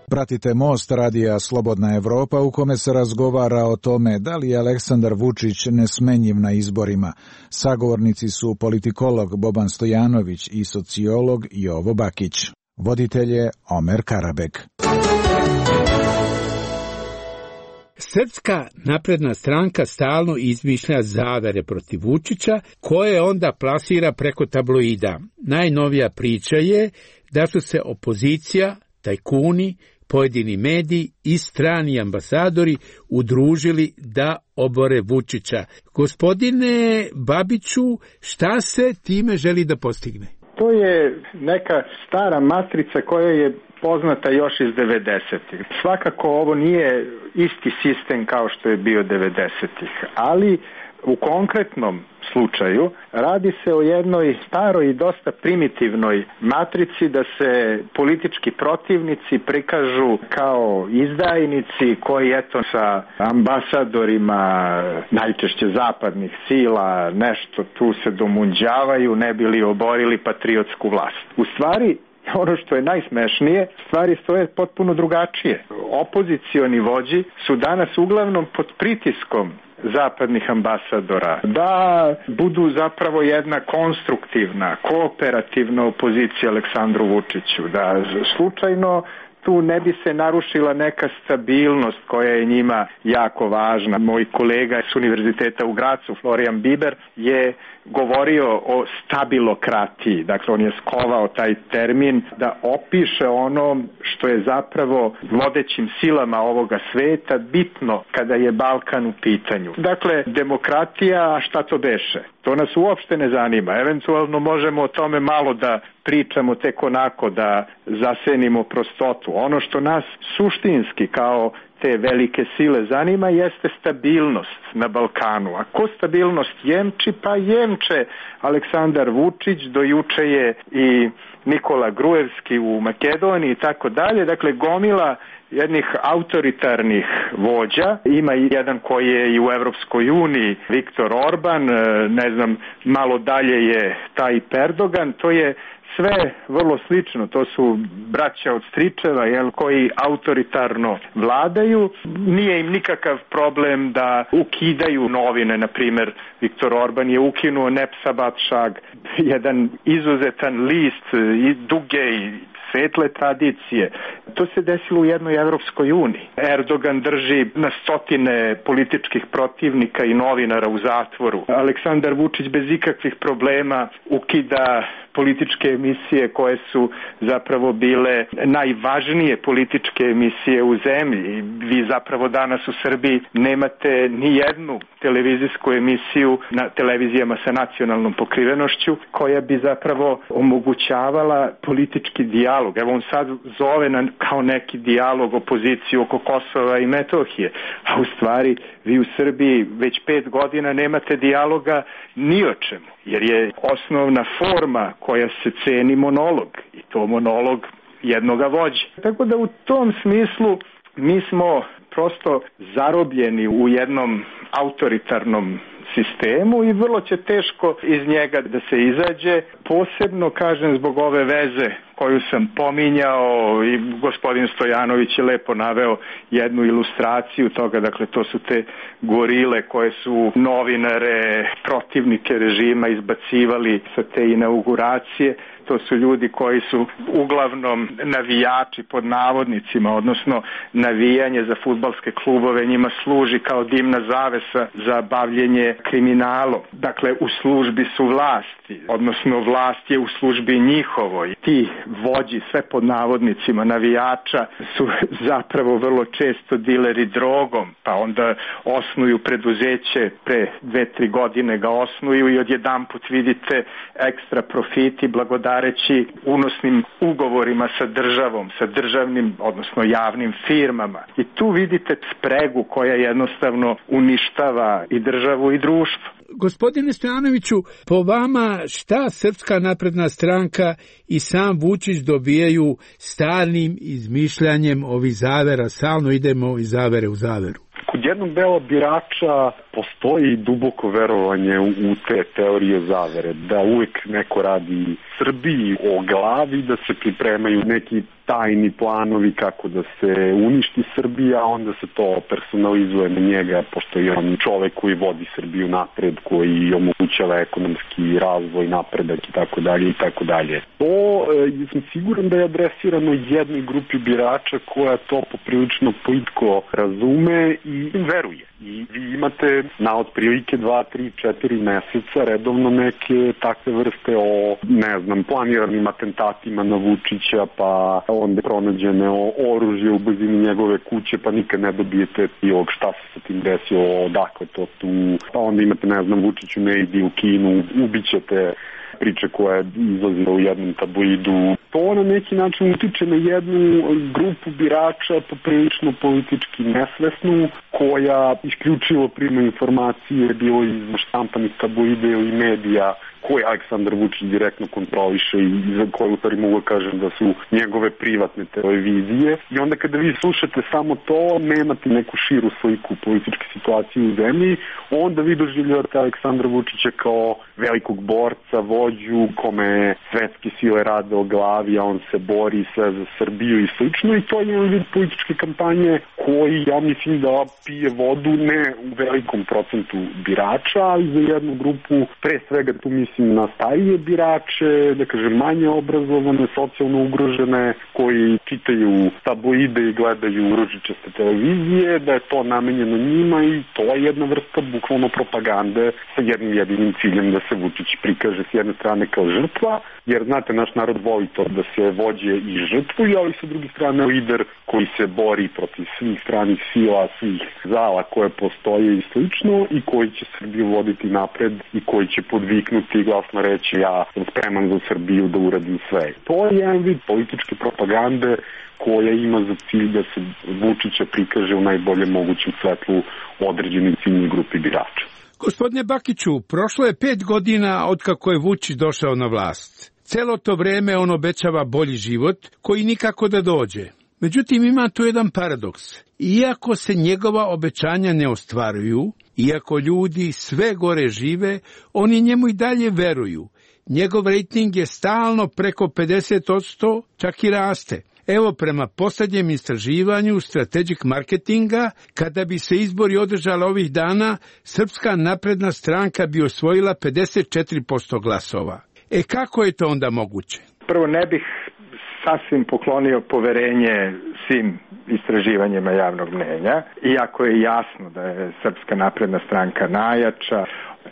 Pratite Most radija Slobodna Evropa u kome se razgovara o tome da li je Aleksandar Vučić nesmenjiv na izborima. Sagovornici su politikolog Boban Stojanović i sociolog Jovo Bakić. Voditelj je Omer Karabek. Srpska napredna stranka stalno izmišlja zavere protiv Vučića, koje onda plasira preko tabloida. Najnovija priča je da su se opozicija, tajkuni, pojedini mediji i strani ambasadori udružili da obore Vučića. Gospodine Babiću, šta se time želi da postigne? To je neka stara matrica koja je poznata još iz 90-ih. Svakako ovo nije isti sistem kao što je bio 90-ih, ali u konkretnom slučaju radi se o jednoj staroj i dosta primitivnoj matrici da se politički protivnici prikažu kao izdajnici koji sa ambasadorima najčešće zapadnih sila nešto tu se domunđavaju ne bi li oborili patriotsku vlast. U stvari, ono što je najsmešnije, stvari stoje potpuno drugačije. Opozicioni vođi su danas uglavnom pod pritiskom zapadnih ambasadora da budu zapravo jedna konstruktivna, kooperativna opozicija Aleksandru Vučiću, da slučajno tu ne bi se narušila neka stabilnost koja je njima jako važna. Moj kolega s Univerziteta u Gracu, Florian Biber, je govorio o stabilokratiji. Dakle, on je skovao taj termin da opiše ono što je zapravo vodećim silama ovoga sveta bitno kada je Balkan u pitanju. Dakle, demokratija, a šta to beše? To nas uopšte ne zanima. Eventualno možemo o tome malo da pričamo tek onako, da zasenimo prostotu. Ono što nas suštinski kao te velike sile zanima jeste stabilnost na Balkanu. A ko stabilnost jemči? Pa jemče Aleksandar Vučić, do juče je i Nikola Gruevski u Makedoniji i tako dalje. Dakle, gomila jednih autoritarnih vođa. Ima i jedan koji je i u Evropskoj uniji, Viktor Orban, ne znam, malo dalje je taj Erdogan. To je sve vrlo slično, to su braća od stričeva, koji autoritarno vladaju. Nije im nikakav problem da ukidaju novine, na primjer Viktor Orban je ukinuo Nepsabatšag, jedan izuzetan list i duge i svetle tradicije. To se desilo u jednoj Evropskoj uniji. Erdogan drži na stotine političkih protivnika i novinara u zatvoru. Aleksandar Vučić bez ikakvih problema ukida političke emisije koje su zapravo bile najvažnije političke emisije u zemlji. Vi zapravo danas u Srbiji nemate ni jednu televizijsku emisiju na televizijama sa nacionalnom pokrivenošću koja bi zapravo omogućavala politički dijalog. Evo on sad zove kao neki dijalog opoziciju oko Kosova i Metohije, a u stvari vi u Srbiji već 5 godina nemate dijaloga ni o čemu, jer je osnovna forma koja se ceni monolog i to monolog jednoga vođe. Tako da u tom smislu mi smo prosto zarobljeni u jednom autoritarnom sistemu i vrlo će teško iz njega da se izađe, posebno kažem zbog ove veze koju sam pominjao i gospodin Stojanović je lepo naveo jednu ilustraciju toga, dakle to su te gorile koje su novinare, protivnike režima izbacivali sa te inauguracije. To su ljudi koji su uglavnom navijači pod navodnicima, odnosno navijanje za fudbalske klubove njima služi kao dimna zavesa za bavljenje kriminalom. Dakle, u službi su vlasti, odnosno vlast je u službi njihovoj. Ti vođi, sve pod navodnicima navijača, su zapravo vrlo često dileri drogom, pa onda osnuju preduzeće, pre 2-3 godine ga osnuju i odjedanput vidite ekstra profiti blagodareći unosnim ugovorima sa državom, sa državnim, odnosno javnim firmama. I tu vidite spregu koja jednostavno uništava i državu i društvo. Gospodine Stojanoviću, po vama šta Srpska napredna stranka i sam Vučić dobijaju stalnim izmišljanjem ovih zavera, stalno idemo iz zavere u zaveru? Kod jednog dela birača postoji duboko verovanje u te teorije zavere, da uvek neko radi Srbiji o glavi, da se pripremaju neki tajni planovi kako da se uništi Srbija, onda se to personalizuje na njega, pošto je on čovek koji vodi Srbiju napred, koji omogućava ekonomski razvoj, napredak i tako dalje i tako dalje. To sam siguran da je adresirano jednoj grupi birača koja to poprilično plitko razume i veruje. I vi imate na otprilike 2, 3, 4 meseca redovno neke takve vrste o, planiranim atentatima na Vučića, pa onda pronađene oružje u blizini njegove kuće, pa nikad ne dobijete prilog šta se sa tim desilo, odakle to tu, pa onda imate, Vučiću ne idi u Kinu, ubićete priče koja je izlazila u jednom tabloidu. To na neki način utiče na jednu grupu birača poprilično politički nesvesnu, koja isključivo prima informacije bilo iz štampanih tabloida ili medija koje Aleksandar Vučić direktno kontroliše i za koje u stvari mogu kažem da su njegove privatne televizije. I onda kada vi slušate samo to, nemate neku širu sliku političke situacije u zemlji, onda vi doživljavate Aleksandra Vučića kao velikog borca, vođu, kome svetske sile rade o glavi, a on se bori sve za Srbiju i slično. I to je jedan vid političke kampanje koji, ja mislim, da pije vodu ne u velikom procentu birača, ali za jednu grupu, pre svega tu mislim na starije birače, da kažem manje obrazovane, socijalno ugrožene, koji čitaju tabloide i gledaju ružičaste televizije, da je to namenjeno njima i to je jedna vrsta bukvalno propagande sa jednim jedinim ciljem da se Vučić prikaže s jedne strane kao žrtva, jer znate, naš narod voli to da se vođe i žrtvuju, ali sa druge strane lider koji se bori protiv svih stranih sila, svih zala koje postoje i slično i koji će Srbiju voditi napred i koji će podviknuti i glasno reći ja sam spreman za Srbiju da uradim sve. To je jedan vid političke propagande koja ima za cilj da se Vučića prikaže u najboljem mogućem svetlu određenoj ciljnoj grupi birača. Gospodine Bakiću, prošlo je 5 godina od kako je Vučić došao na vlast. Celo to vreme on obećava bolji život koji nikako da dođe. Međutim, ima tu jedan paradoks. Iako se njegova obećanja ne ostvaruju, iako ljudi sve gore žive, oni njemu i dalje veruju. Njegov rejting je stalno preko 50%, čak i raste. Evo, prema posljednjem istraživanju Strategic Marketinga, kada bi se izbori održali ovih dana, Srpska napredna stranka bi osvojila 54% glasova. Kako je to onda moguće? Prvo, ne bih sasvim poklonio poverenje svim istraživanjima javnog mnjenja, iako je jasno da je Srpska napredna stranka najjača.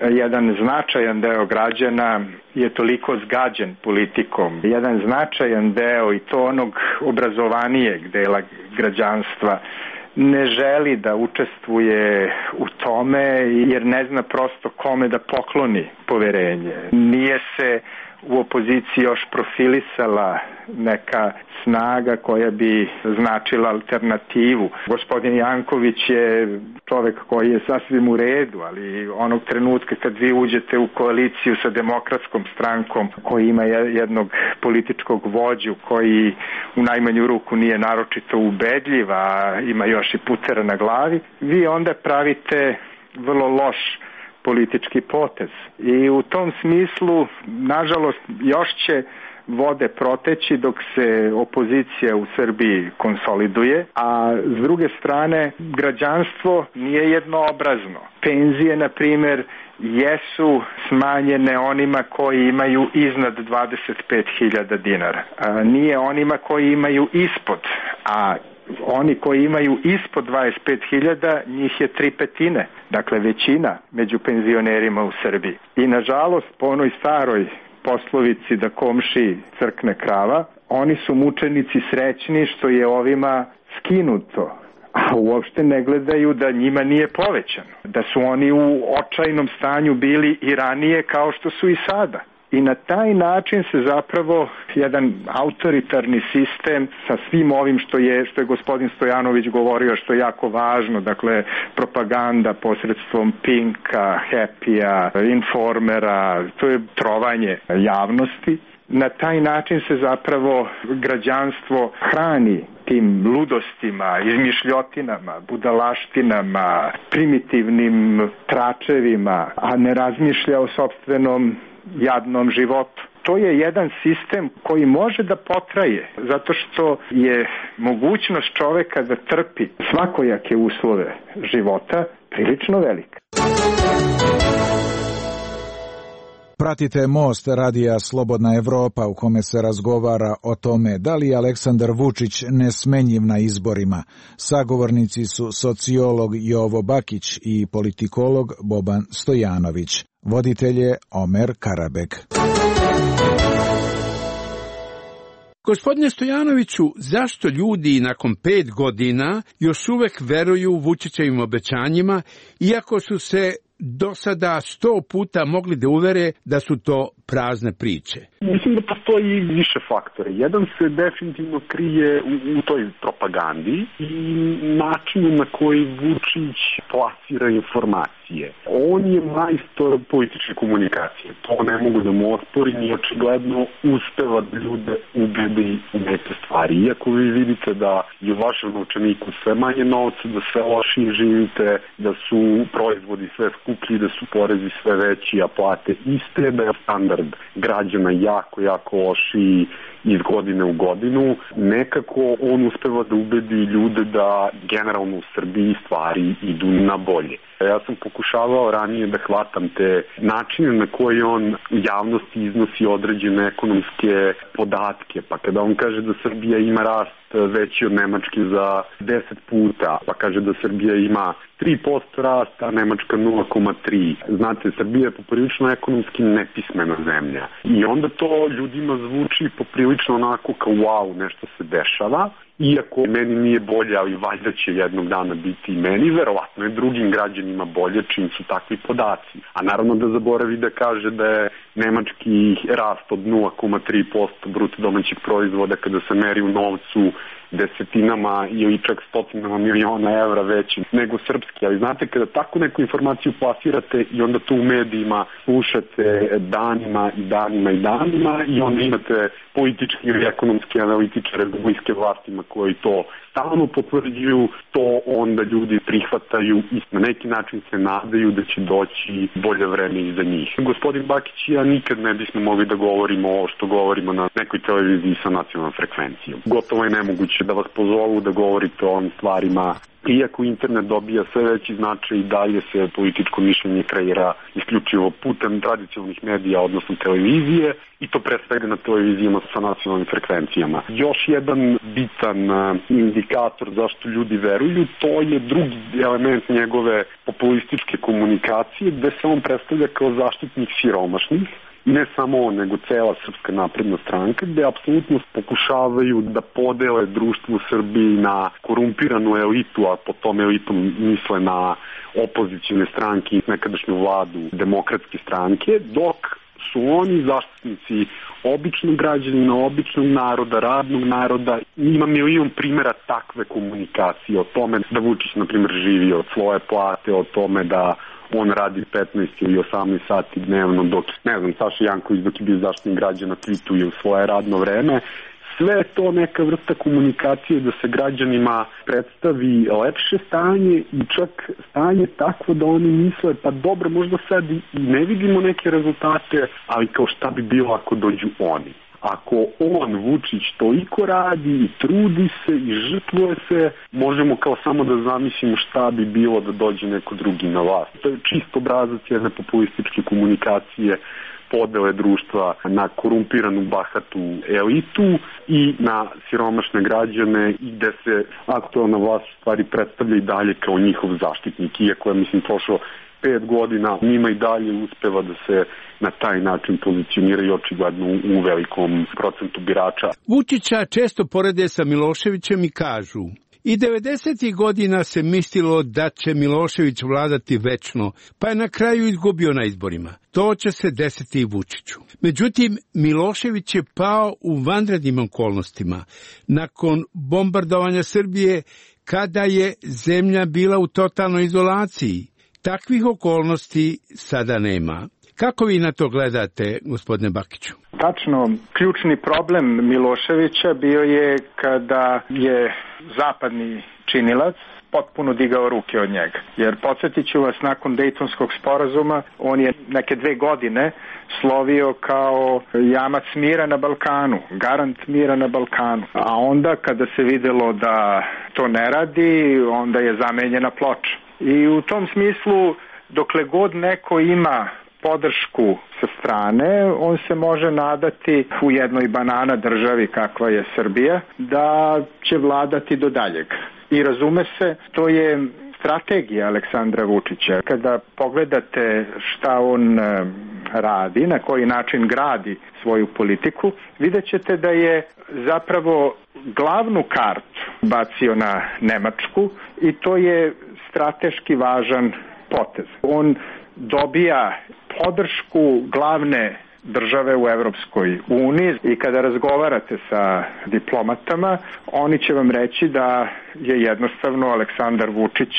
Jedan značajan deo građana je toliko zgađen politikom. Jedan značajan deo, i to onog obrazovanijeg dela građanstva, ne želi da učestvuje u tome jer ne zna prosto kome da pokloni poverenje. Nije se u opoziciji još profilisala neka snaga koja bi značila alternativu. Gospodin Janković je čovek koji je sasvim u redu, ali onog trenutka kad vi uđete u koaliciju sa Demokratskom strankom koji ima jednog političkog vođu koji u najmanju ruku nije naročito ubedljiv, a ima još i putera na glavi, vi onda pravite vrlo loš politički potez. I u tom smislu, nažalost, još će vode proteći dok se opozicija u Srbiji konsoliduje, a s druge strane građanstvo nije jednoobrazno. Penzije, na primjer, jesu smanjene onima koji imaju iznad 25.000 dinara. Nije onima koji imaju ispod, a oni koji imaju ispod 25.000, njih je 3/5, dakle većina među penzionerima u Srbiji. I nažalost, po onoj staroj poslovici da komši crkne krava, oni su mučenici srećni što je ovima skinuto, a uopšte ne gledaju da njima nije povećano, da su oni u očajnom stanju bili i ranije kao što su i sada. I na taj način se zapravo jedan autoritarni sistem sa svim ovim što je gospodin Stojanović govorio, što je jako važno, dakle propaganda posredstvom Pinka, Happy-a, Informera, to je trovanje javnosti. Na taj način se zapravo građanstvo hrani tim ludostima, izmišljotinama, budalaštinama, primitivnim tračevima, a ne razmišlja o sopstvenom jadnom životu. To je jedan sistem koji može da potraje, zato što je mogućnost čoveka da trpi svakojake uslove života prilično velika. Pratite Most radija Slobodna Evropa u kome se razgovara o tome da li je Aleksandar Vučić nesmenjiv na izborima. Sagovornici su sociolog Jovo Bakić i politikolog Boban Stojanović. Voditelj je Omer Karabek. Gospodine Stojanoviću, zašto ljudi nakon 5 godina još uvek veruju Vučićevim obećanjima, iako su se do sada 100 puta mogli da uvere da su to prazne priče? Mislim da postoji više faktora. Jedan se definitivno krije u toj propagandi i načinu na koji Vučić plasira informacije. On je majstor političke komunikacije. To ne mogu da mu osporim i očigledno uspeva da ljude ubedi u neke stvari. Iako vi vidite da je u vašem novčaniku sve manje novca, da sve lošije živite, da su proizvodi sve skuplji, da su porezi sve veći, a plate iste, da je standard građana jako lošiji iz godine u godinu, nekako on uspeva da ubedi ljude da generalno u Srbiji stvari idu na bolje. Ja sam pokušavao ranije da hvatam te načine na koji on u javnosti iznosi određene ekonomske podatke, pa kada on kaže da Srbija ima rast veći od Nemačke za 10 puta, pa kaže da Srbija ima 3% rasta, a Nemačka 0,3. Znate, Srbija je poprilično ekonomski nepismena zemlja. I onda to ljudima zvuči poprilično onako kao wow, nešto se dešava. Iako meni nije bolje, ali valjda će jednog dana biti i meni, verovatno je drugim građanima bolje čim su takvi podaci. A naravno da zaboravi da kaže da je nemački rast od 0,3% bruto domaćeg proizvoda kada se meri u novcu desetinama ili čak stotinama miliona evra veći nego srpski. Ali znate, kada tako neku informaciju plasirate i onda to u medijima slušate danima i onda imate politički ili ekonomski analitičare republičke vlastima koji to stalno potvrđuju, to onda ljudi prihvataju i na neki način se nadaju da će doći bolje vreme iza njih. Gospodin Bakić i ja nikad ne bismo mogli da govorimo o što govorimo na nekoj televiziji sa nacionalnom frekvencijom. Gotovo je nemoguće da vas pozovu da govorite o ovim stvarima. Iako internet dobija sve veći značaj i dalje se političko mišljenje kreira isključivo putem tradicionalnih medija, odnosno televizije, i to pre svega na televizijama sa nacionalnim frekvencijama. Još jedan bitan indikator zašto ljudi veruju, to je drugi element njegove populističke komunikacije, gde se on predstavlja kao zaštitnik siromašnih. Ne samo on, nego cela Srpska napredna stranka, gde apsolutno pokušavaju da podele društvo u Srbiji na korumpiranu elitu, a po tom elitom misle na opozicijne stranke i nekadašnju vladu demokratske stranke, dok su oni zaštitnici običnog građanina, običnog naroda, radnog naroda. Ima milion primjera takve komunikacije o tome da Vučić, na primjer, živi od svoje plate, o tome da on radi 15 ili 18 sati dnevno, dok, ne znam, Saša Janković dok je bio zaštitnik građana tweetuje u svoje radno vreme. Sve je to neka vrsta komunikacije da se građanima predstavi lepše stanje i čak stanje takvo da oni misle, pa dobro, možda sad i ne vidimo neke rezultate, ali kao šta bi bilo ako dođu oni. Ako on, Vučić, toliko radi i trudi se i žrtvuje se, možemo kao samo da zamislimo šta bi bilo da dođe neko drugi na vlast. To je čist obrazac jedne populističke komunikacije, podele društva na korumpiranu bahatu elitu i na siromašne građane, i gde se aktualna vlast stvari predstavlja i dalje kao njihov zaštitnik, iako je, mislim, prošlo 5 godina, njima i dalje uspeva da se na taj način pozicioniraju očigledno u velikom procentu birača. Vučića često porede sa Miloševićem i kažu: i 90. godina se mislilo da će Milošević vladati večno, pa je na kraju izgubio na izborima. To će se desiti i Vučiću. Međutim, Milošević je pao u vanrednim okolnostima. Nakon bombardovanja Srbije, kada je zemlja bila u totalnoj izolaciji, takvih okolnosti sada nema. Kako vi na to gledate, gospodine Bakiću? Tačno, ključni problem Miloševića bio je kada je zapadni činilac potpuno digao ruke od njega. Jer podsjetit ću vas, nakon Dejtonskog sporazuma on je neke 2 godine slovio kao jamac mira na Balkanu, garant mira na Balkanu. A onda kada se videlo da to ne radi, onda je zamenjena ploča. I u tom smislu, dokle god neko ima podršku sa strane, on se može nadati u jednoj banana državi kakva je Srbija, da će vladati do daljeg. I razume se, to je strategija Aleksandra Vučića. Kada pogledate šta on radi, na koji način gradi svoju politiku, vidjet ćete da je zapravo glavnu kartu bacio na Nemačku i to je strateški važan potez. On dobija podršku glavne države u Evropskoj uniji i kada razgovarate sa diplomatama, oni će vam reći da je jednostavno Aleksandar Vučić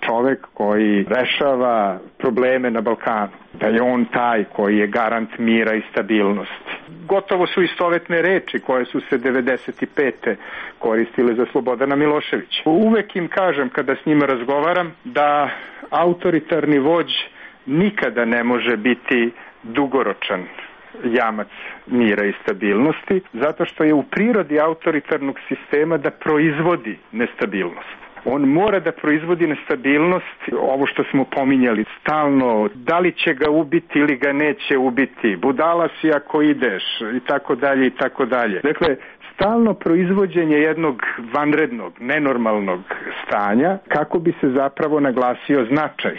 čovek koji rešava probleme na Balkanu, da je on taj koji je garant mira i stabilnosti. Gotovo su istovetne reči koje su se 95. koristile za Slobodana Miloševića. Uvek im kažem kada s njima razgovaram da autoritarni vođ nikada ne može biti dugoročan jamac mira i stabilnosti, zato što je u prirodi autoritarnog sistema da proizvodi nestabilnost. On mora da proizvodi nestabilnost, ovo što smo pominjali stalno, da li će ga ubiti ili ga neće ubiti, budala si ako ideš i tako dalje i tako dalje. Dakle, stalno proizvođenje jednog vanrednog, nenormalnog stanja kako bi se zapravo naglasio značaj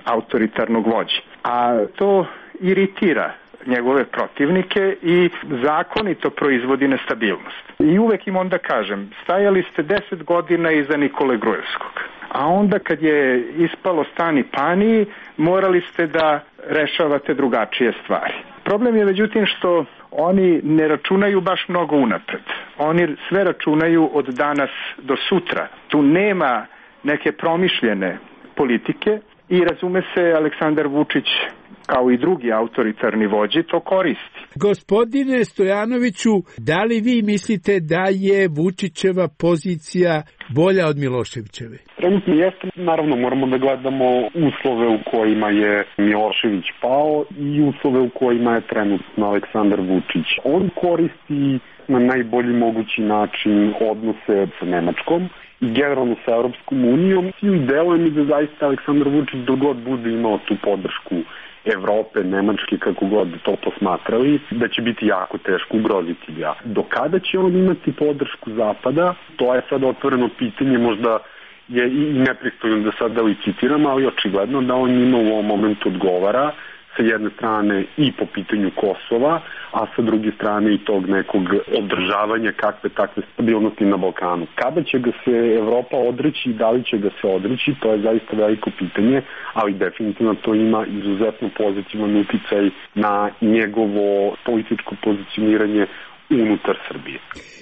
autoritarnog vođe. A to iritira njegove protivnike i zakonito proizvodi nestabilnost. I uvek im onda kažem, stajali ste 10 godina iza Nikole Grujevskog, a onda kad je ispalo stani pani, morali ste da rešavate drugačije stvari. Problem je međutim što oni ne računaju baš mnogo unapred. Oni sve računaju od danas do sutra. Tu nema neke promišljene politike i razume se Aleksandar Vučić kao i drugi autoritarni vođi to koristi. Gospodine Stojanoviću, da li vi mislite da je Vučićeva pozicija bolja od Miloševićeve? Trenutno jeste, naravno moramo da gledamo uslove u kojima je Milošević pao i uslove u kojima je trenutno Aleksandar Vučić. On koristi na najbolji mogući način odnose sa Nemačkom i generalno sa Europskom unijom. I deluje mi da zaista Aleksandar Vučić dogod bude imao tu podršku Evrope, Nemačke, kako god to posmatrali, da će biti jako teško ugroziti ga. Do kada će on imati podršku Zapada, to je sad otvoreno pitanje, možda je i nepristojno da sad da li citiram, ali očigledno da on ima u ovom momentu odgovara sa jedne strane i po pitanju Kosova, a sa druge strane i tog nekog održavanja kakve takve stabilnosti na Balkanu. Kada će ga se Evropa odreći i da li će ga se odreći, to je zaista veliko pitanje, ali definitivno to ima izuzetno pozitivan uticaj na njegovo političko pozicioniranje unutar Srbije.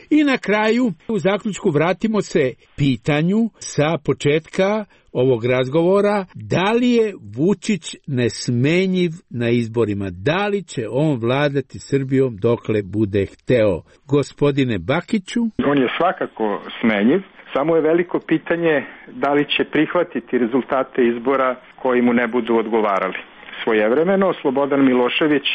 I na kraju, u zaključku vratimo se pitanju sa početka ovog razgovora, da li je Vučić nesmenjiv na izborima, da li će on vladati Srbijom dokle bude hteo. Gospodine Bakiću? On je svakako smenjiv, samo je veliko pitanje da li će prihvatiti rezultate izbora koji mu ne budu odgovarali. Svojevremeno Slobodan Milošević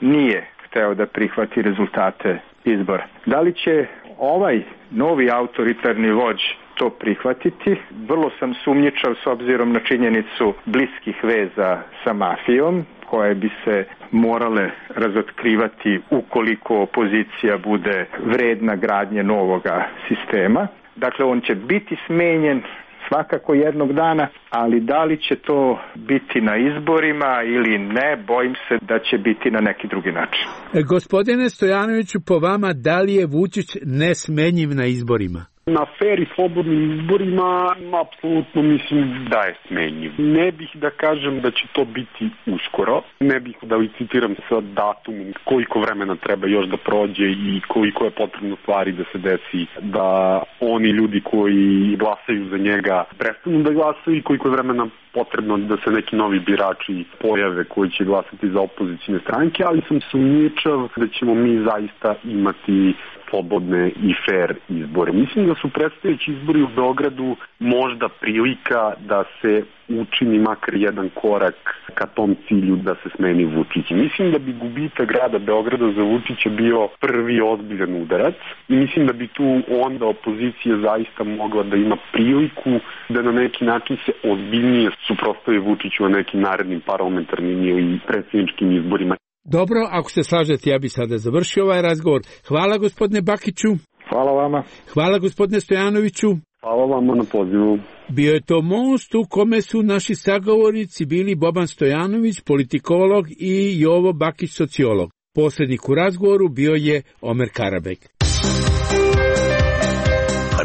nije hteo da prihvati rezultate izbora. Da li će ovaj novi autoritarni vođ to prihvatiti? Vrlo sam sumnjičav s obzirom na činjenicu bliskih veza sa mafijom, koje bi se morale razotkrivati ukoliko opozicija bude vredna gradnje novoga sistema. Dakle, on će biti smenjen svakako jednog dana, ali da li će to biti na izborima ili ne, bojim se da će biti na neki drugi način. Gospodine Stojanoviću, po vama, da li je Vučić nesmenjiv na izborima? Na fer i slobodnim izborima apsolutno mislim da je smenjiv. Ne bih da kažem da će to biti uskoro. Ne bih da licitiram sa datumom koliko vremena treba još da prođe i koliko je potrebno stvari da se desi da oni ljudi koji glasaju za njega prestanu da glasaju i koliko vremena potrebno da se neki novi birači pojave koji će glasati za opozicijne stranke, ali sam sumnjičav da ćemo mi zaista imati slobodne i fair izbore. Mislim da su predstojeći izbori u Beogradu možda prilika da se učini makar jedan korak ka tom cilju da se smeni Vučić. Mislim da bi gubitak grada Beograda za Vučića bio prvi ozbiljan udarac i mislim da bi tu onda opozicija zaista mogla da ima priliku da na neki način se ozbiljnije suprotstavi Vučiću na nekim narednim parlamentarnim ili predsjedničkim izborima. Dobro, ako se slažete, ja bi sada završio ovaj razgovor. Hvala gospodine Bakiću. Hvala vama. Hvala gospodine Stojanoviću. Hvala vama na pozivu. Bio je to most u kome su naši sagovornici bili Boban Stojanović, politikolog, i Jovo Bakić, sociolog. Posrednik u razgovoru bio je Omer Karabek.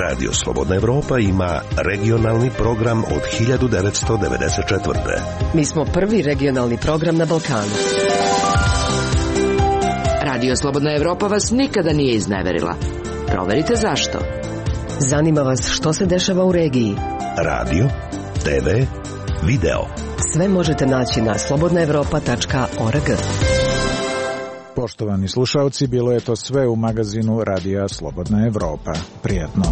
Radio Slobodna Evropa ima regionalni program od 1994. Mi smo prvi regionalni program na Balkanu. Radio Slobodna Evropa vas nikada nije izneverila. Proverite zašto. Zanima vas što se dešava u regiji. Radio, TV, video. Sve možete naći na slobodnaevropa.org. Poštovani slušalci, bilo je to sve u magazinu Radija Slobodna Evropa. Prijatno.